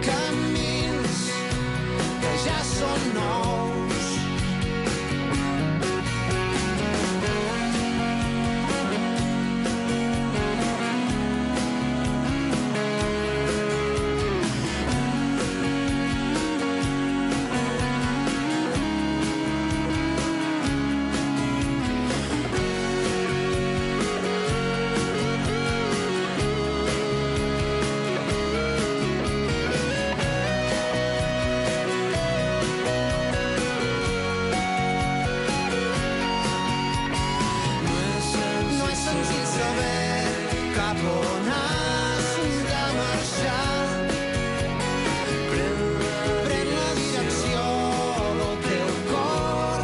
camins que ja són nous. No és senzill saber cap on has de marxar. Pren, pren la direcció del teu cor.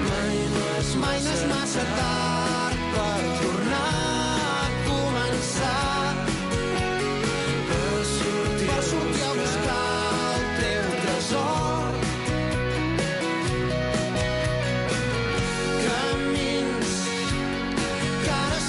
Mai no és, mai no és massa tard per tornar a començar, per sortir, per sortir a buscar el teu tresor. Camins que ara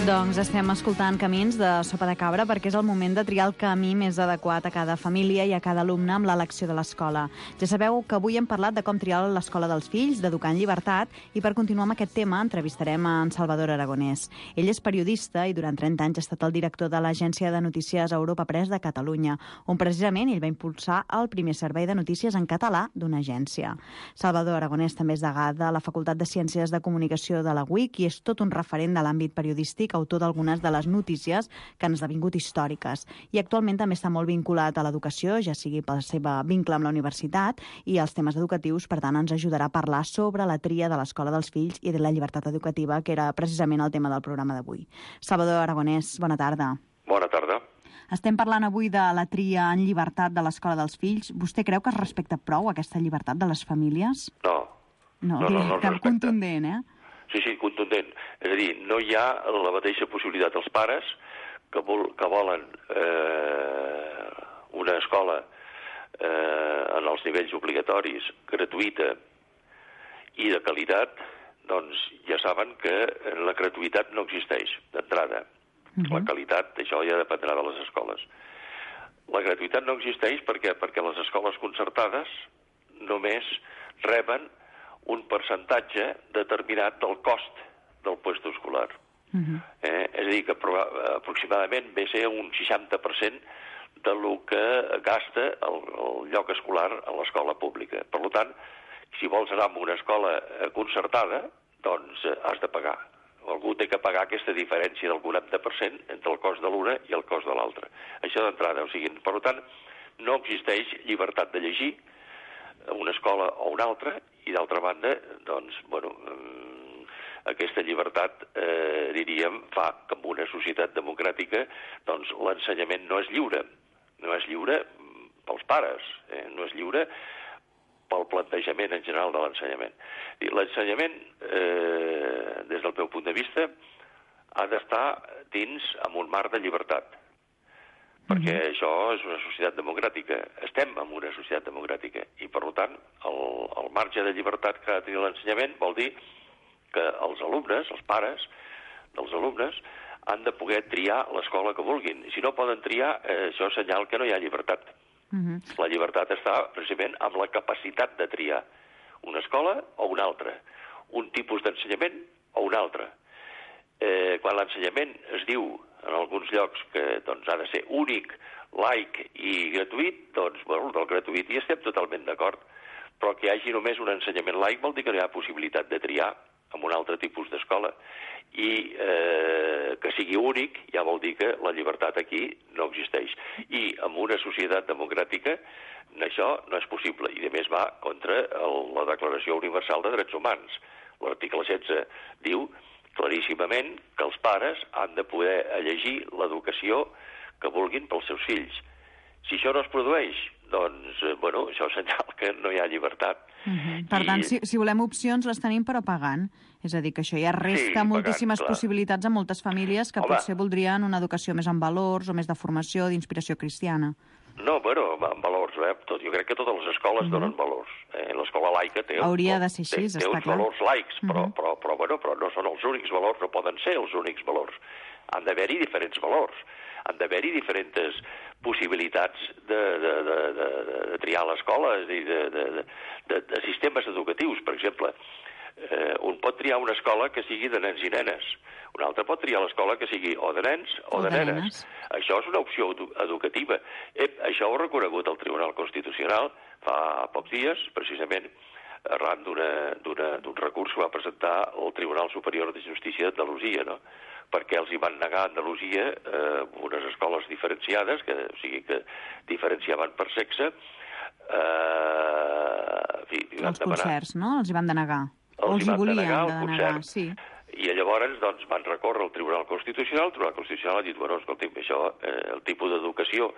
Doncs estem escoltant Camins de Sopa de Cabra perquè és el moment de triar el camí més adequat a cada família i a cada alumne amb l'elecció de l'escola. Ja sabeu que avui hem parlat de com triar l'escola dels fills, d'educar en llibertat, i per continuar amb aquest tema entrevistarem a en Salvador Aragonès. Ell és periodista i durant trenta anys ha estat el director de l'agència de notícies Europa Press de Catalunya, on precisament ell va impulsar el primer servei de notícies en català d'una agència. Salvador Aragonès també és degà de la Facultat de Ciències de Comunicació de la U I C i és tot un referent de l'àmbit periodístic, autor d'algunes de les notícies que han esdevingut històriques. I actualment també està molt vinculat a l'educació, ja sigui pel seu vincle amb la universitat i els temes educatius. Per tant, ens ajudarà a parlar sobre la tria de l'escola dels fills i de la llibertat educativa, que era precisament el tema del programa d'avui. Salvador Aragonès, bona tarda. Bona tarda. Estem parlant avui de la tria en llibertat de l'escola dels fills. Vostè creu que es respecta prou aquesta llibertat de les famílies? No. No, no, no, no cap contundent, eh? Sí, sí, contundent. És a dir, no hi ha la mateixa possibilitat als pares que, vol, que volen eh, una escola eh, en els nivells obligatoris, gratuïta i de qualitat, doncs ja saben que la gratuïtat no existeix d'entrada. Uh-huh. La qualitat, això ja dependrà de les escoles. La gratuïtat no existeix perquè, perquè les escoles concertades només reben un percentatge determinat del cost del puesto escolar. Uh-huh. eh, és a dir, que aproximadament ve a ser un seixanta per cent de lo que gasta el, el lloc escolar a l'escola pública. Per tant, si vols anar a una escola concertada, doncs has de pagar. Algú té que pagar aquesta diferència del quaranta per cent entre el cost de l'una i el cost de l'altra. Això d'entrada. O sigui, per tant, no existeix llibertat de llegir a una escola o una altra, i d'altra banda, doncs, bueno, aquesta llibertat, eh, diríem, fa que en una societat democràtica, doncs, l'ensenyament no és lliure. No és lliure pels pares, eh? No és lliure pel plantejament en general de l'ensenyament. L'ensenyament, eh, des del meu punt de vista, ha d'estar dins amb un marc de llibertat, perquè uh-huh. això és una societat democràtica. Estem en una societat democràtica i, per tant, el, el marge de llibertat que ha de tenir l'ensenyament vol dir que els alumnes, els pares dels alumnes, han de poder triar l'escola que vulguin. Si no poden triar, eh, això és senyal que no hi ha llibertat. Uh-huh. La llibertat està precisament amb la capacitat de triar una escola o una altra, un tipus d'ensenyament o un altre. Eh, quan l'ensenyament es diu en alguns llocs que doncs, ha de ser únic, laic i gratuït, doncs, bueno, del gratuït hi estem totalment d'acord, però que hi hagi només un ensenyament laic vol dir que no hi ha possibilitat de triar amb un altre tipus d'escola, i eh, que sigui únic ja vol dir que la llibertat aquí no existeix. I en una societat democràtica això no és possible, i a més va contra el, la Declaració Universal de Drets Humans. L'article setze diu claríssimament que els pares han de poder elegir l'educació que vulguin pels seus fills. Si això no es produeix, doncs, bueno, això és senyal que no hi ha llibertat. Uh-huh. Per I... tant, si, si volem opcions, les tenim però pagant. És a dir, que això ja resta sí, moltíssimes pagant, possibilitats a moltes famílies que Home. potser voldrien una educació més en valors o més de formació, d'inspiració cristiana. No, bueno, en valors, eh? Tot, jo crec que totes les escoles uh-huh. donen valors. Eh? L'escola laica té, Hauria un, de ser així, té, té uns clar. valors laics, però, uh-huh. però, però, bueno, però no són els únics valors, no poden ser els únics valors. Han d'haver-hi diferents valors, han d'haver-hi diferents possibilitats de, de, de, de, de triar l'escola, és a dir, de, de, de, de sistemes educatius, per exemple. Eh, un pot triar una escola que sigui de nens i nenes, un altre pot triar l'escola que sigui o de nens o, o de, de nenes. nenes. Això és una opció edu educativa. Eh, això ho ha reconegut el Tribunal Constitucional fa pocs dies, precisament arran d'un recurs que va presentar el Tribunal Superior de Justícia d'Andalusia, no? Perquè els hi van negar a Andalusia eh, unes escoles diferenciades, que, o sigui, que diferenciaven per sexe. Eh, fi, els concerts, no? Els hi van denegar. Els els hi van volien denegar el denegar, concert. sí. I llavors doncs, van recórrer al Tribunal Constitucional, el Tribunal Constitucional ha dit, bueno, escolti'm, això, eh, el tipus d'educació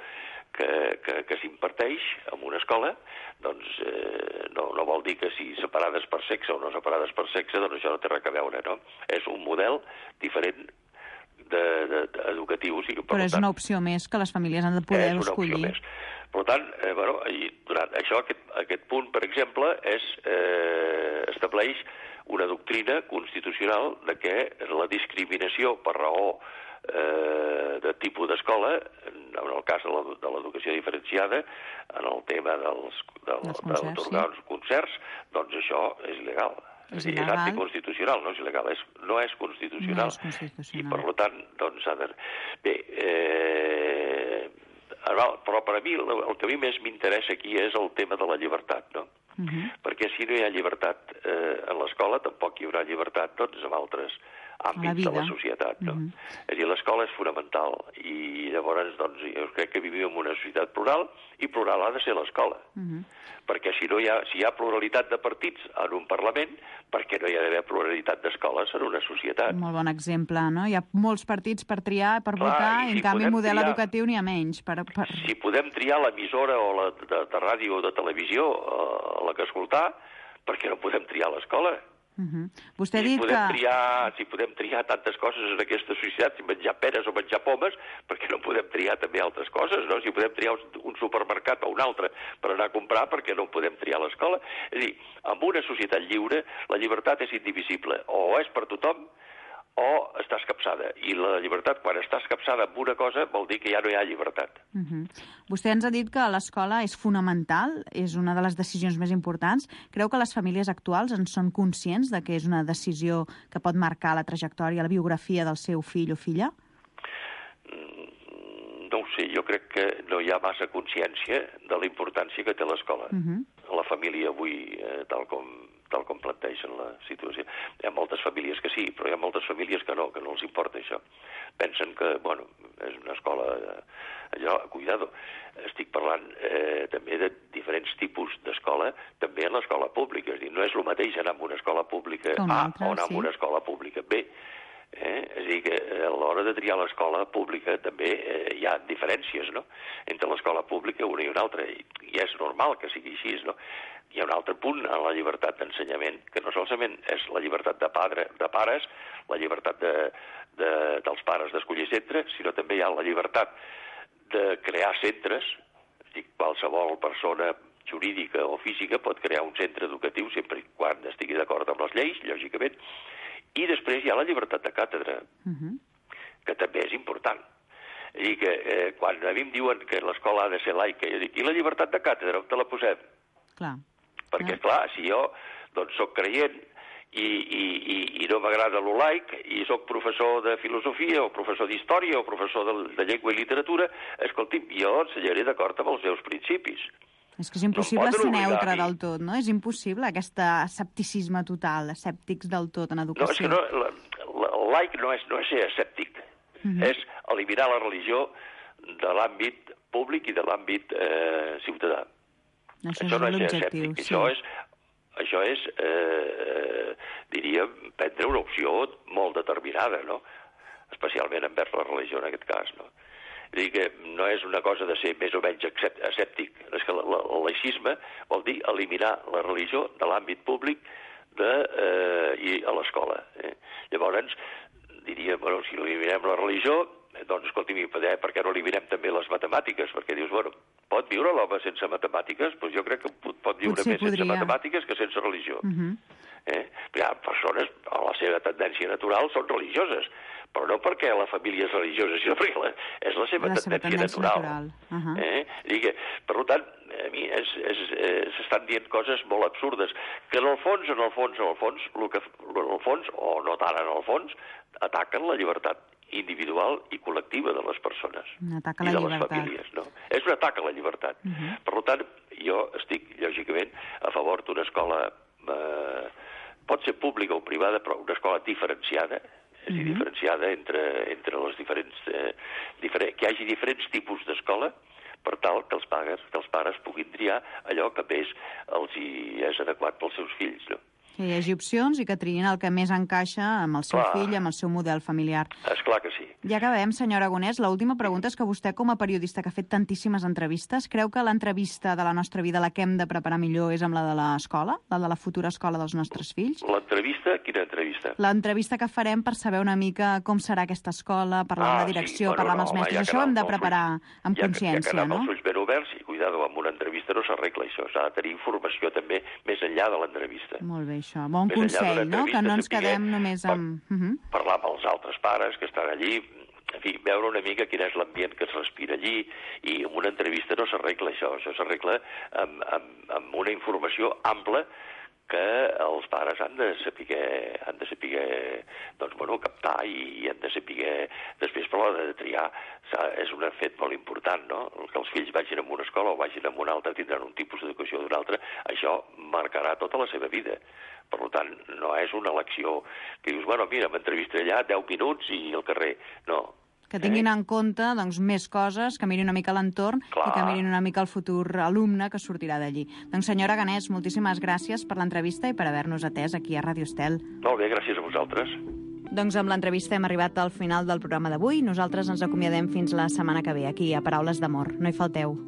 que, que, que s'imparteix en una escola, doncs eh, no, no vol dir que si separades per sexe o no separades per sexe, doncs això no té res a veure, no? És un model diferent de, de, de educatiu. O sigui, Però és tant, una opció més que les famílies han de poder és una escollir. Opció més. Per tant, eh, bueno, i durant això, aquest, aquest punt, per exemple, és, eh, estableix una doctrina constitucional de que la discriminació per raó eh, de tipus d'escola, en el cas de l'educació diferenciada, en el tema dels, del, d'atorgar uns concerts, doncs això és il·legal. És, és anticonstitucional, no és il·legal, és, no és constitucional. No és constitucional. I, per tant, doncs, ha de... Bé, eh... però per a mi, el que a mi més m'interessa aquí és el tema de la llibertat, no? Uh-huh. Perquè si no hi ha llibertat eh, en l'escola, tampoc hi haurà llibertat doncs, en altres àmbits de la societat. No? Uh-huh. És a dir, l'escola és fonamental i llavors doncs, jo crec que vivim en una societat plural i plural ha de ser l'escola. Uh-huh. Perquè si, no hi ha, si hi ha pluralitat de partits en un Parlament, per què no hi ha d'haver pluralitat d'escoles en una societat? Molt bon exemple, no? Hi ha molts partits per triar, per Clar, votar, i, si en canvi model triar, educatiu n'hi ha menys. Per, per... Si podem triar l'emissora o la de, de ràdio o de televisió a la que escoltar, per què no podem triar l'escola? Uh-huh. Vostè ha si dit podem que... Triar, si podem triar tantes coses en aquesta societat, si menjar peres o menjar pomes, per què no podem triar també altres coses, no? Si podem triar un supermercat o un altre per anar a comprar, per què no podem triar l'escola? És a dir, en una societat lliure, la llibertat és indivisible. O és per tothom, o està escapçada. I la llibertat, quan està escapçada amb una cosa, vol dir que ja no hi ha llibertat. Uh-huh. Vostè ens ha dit que l'escola és fonamental, és una de les decisions més importants. Creu que les famílies actuals en són conscients de que és una decisió que pot marcar la trajectòria, la biografia del seu fill o filla? No ho sé, jo crec que no hi ha massa consciència de la importància que té l'escola. Uh-huh. La família avui, eh, tal com tal com plantegen la situació. Hi ha moltes famílies que sí, però hi ha moltes famílies que no, que no els importa això. Pensen que, bueno, és una escola... Allò, cuidado, estic parlant eh, també de diferents tipus d'escola, també en l'escola pública. És a dir, no és el mateix anar a una escola pública A o anar a una escola pública B. Eh? És a dir, que a l'hora de triar l'escola pública també eh, hi ha diferències, no?, entre l'escola pública una i una altra, i, i és normal que sigui així, no? Hi ha un altre punt en la llibertat d'ensenyament, que no solament és la llibertat de, padre, de pares, la llibertat de, de, dels pares d'escollir centre, sinó també hi ha la llibertat de crear centres. És dir, qualsevol persona jurídica o física pot crear un centre educatiu sempre i quan estigui d'acord amb les lleis, lògicament. I després hi ha la llibertat de càtedra, uh-huh. que també és important. És dir, que eh, quan a mi em diuen que l'escola ha de ser laica, jo dic, i la llibertat de càtedra, on te la posem? Clar. Perquè, clar, si jo doncs, soc creient i, i, i, i no m'agrada lo laic, i soc professor de filosofia, o professor d'història, o professor de, de llengua i literatura, escolti'm, jo ensenyaré d'acord amb els meus principis. És que és impossible no ser neutre del tot, no? És impossible, aquest escepticisme total, escèptics del tot en educació. No, és que no, la, la, el laic no és, no és ser escèptic, uh-huh. és eliminar la religió de l'àmbit públic i de l'àmbit eh, ciutadà. Això, això és no és l'objectiu, sí. Això és, això és eh, diríem, prendre una opció molt determinada, no? Especialment envers la religió, en aquest cas, no? És dir, que no és una cosa de ser més o menys escèptic. És que el laïcisme vol dir eliminar la religió de l'àmbit públic de, eh, i a l'escola. Eh? Llavors, diríem, bueno, si eliminem la religió, doncs, escolti'm, per què no eliminem també les matemàtiques? Perquè dius, bueno, pot viure l'home sense matemàtiques? Doncs jo crec que pot viure Potser més podria. sense matemàtiques que sense religió. Uh-huh. eh? Hi ha persones, a la seva tendència natural, són religioses, però no perquè la família és religiosa, sinó perquè la, és la seva, la tendència, seva tendència natural. natural. Uh-huh. eh? I que, per tant, a mi és, és, eh, s'estan dient coses molt absurdes, que en el fons, en el fons, en el fons, el que, en el fons, o no tant en el fons, ataquen la llibertat individual i col·lectiva de les persones un atac a i la de les llibertat. famílies. No? És un atac a la llibertat. Uh-huh. Per tant, jo estic, lògicament, a favor d'una escola, eh, pot ser pública o privada, però una escola diferenciada, és a dir, uh-huh. diferenciada entre, entre les diferents... Eh, diferent, que hi hagi diferents tipus d'escola, per tal que els pares, que els pares puguin triar allò que més els hi és adequat pels seus fills, no? Que hi hagi opcions i que triïn el que més encaixa amb el seu Clar. fill, amb el seu model familiar. Esclar que sí. Ja acabem, senyor Aragonès. L'última pregunta és que vostè, com a periodista que ha fet tantíssimes entrevistes, creu que l'entrevista de la nostra vida, la que hem de preparar millor, és amb la de l'escola, la de la futura escola dels nostres fills? L'entrevista? Quina entrevista? L'entrevista que farem per saber una mica com serà aquesta escola, parlar ah, amb la direcció, sí. bueno, parlar amb no, els mestres. ja Això ho hem de amb preparar ulls, amb ja, consciència, ja no? amb els ulls ben oberts i, cuidado, amb una entrevista no s'arregla això, s'ha de tenir informació també més enllà de l'entrevista. Molt bé, això. Bon consell, no? Que no ens quedem només amb... Per, uh -huh. Parlar amb els altres pares que estan allí, en fi, veure una mica quin és l'ambient que es respira allí, i en una entrevista no s'arregla això, això s'arregla amb, amb, amb una informació ampla que els pares han de saber, han de saber doncs, bueno, captar i han de saber després per l'hora de triar. És un fet molt important, no? Que els fills vagin a una escola o vagin a una altra, tindran un tipus d'educació o d'una altra, això marcarà tota la seva vida. Per tant, no és una elecció que dius, bueno, mira, m'entrevistaré allà deu minuts i al carrer. No. Que tinguin eh? en compte doncs, més coses, que mirin una mica l'entorn i que mirin una mica el futur alumne que sortirà d'allí. Doncs senyora Ganès, moltíssimes gràcies per l'entrevista i per haver-nos atès aquí a Ràdio Estel. Molt bé, gràcies a vosaltres. Doncs amb l'entrevista hem arribat al final del programa d'avui. Nosaltres ens acomiadem fins la setmana que ve, aquí a Paraules d'Amor. No hi falteu.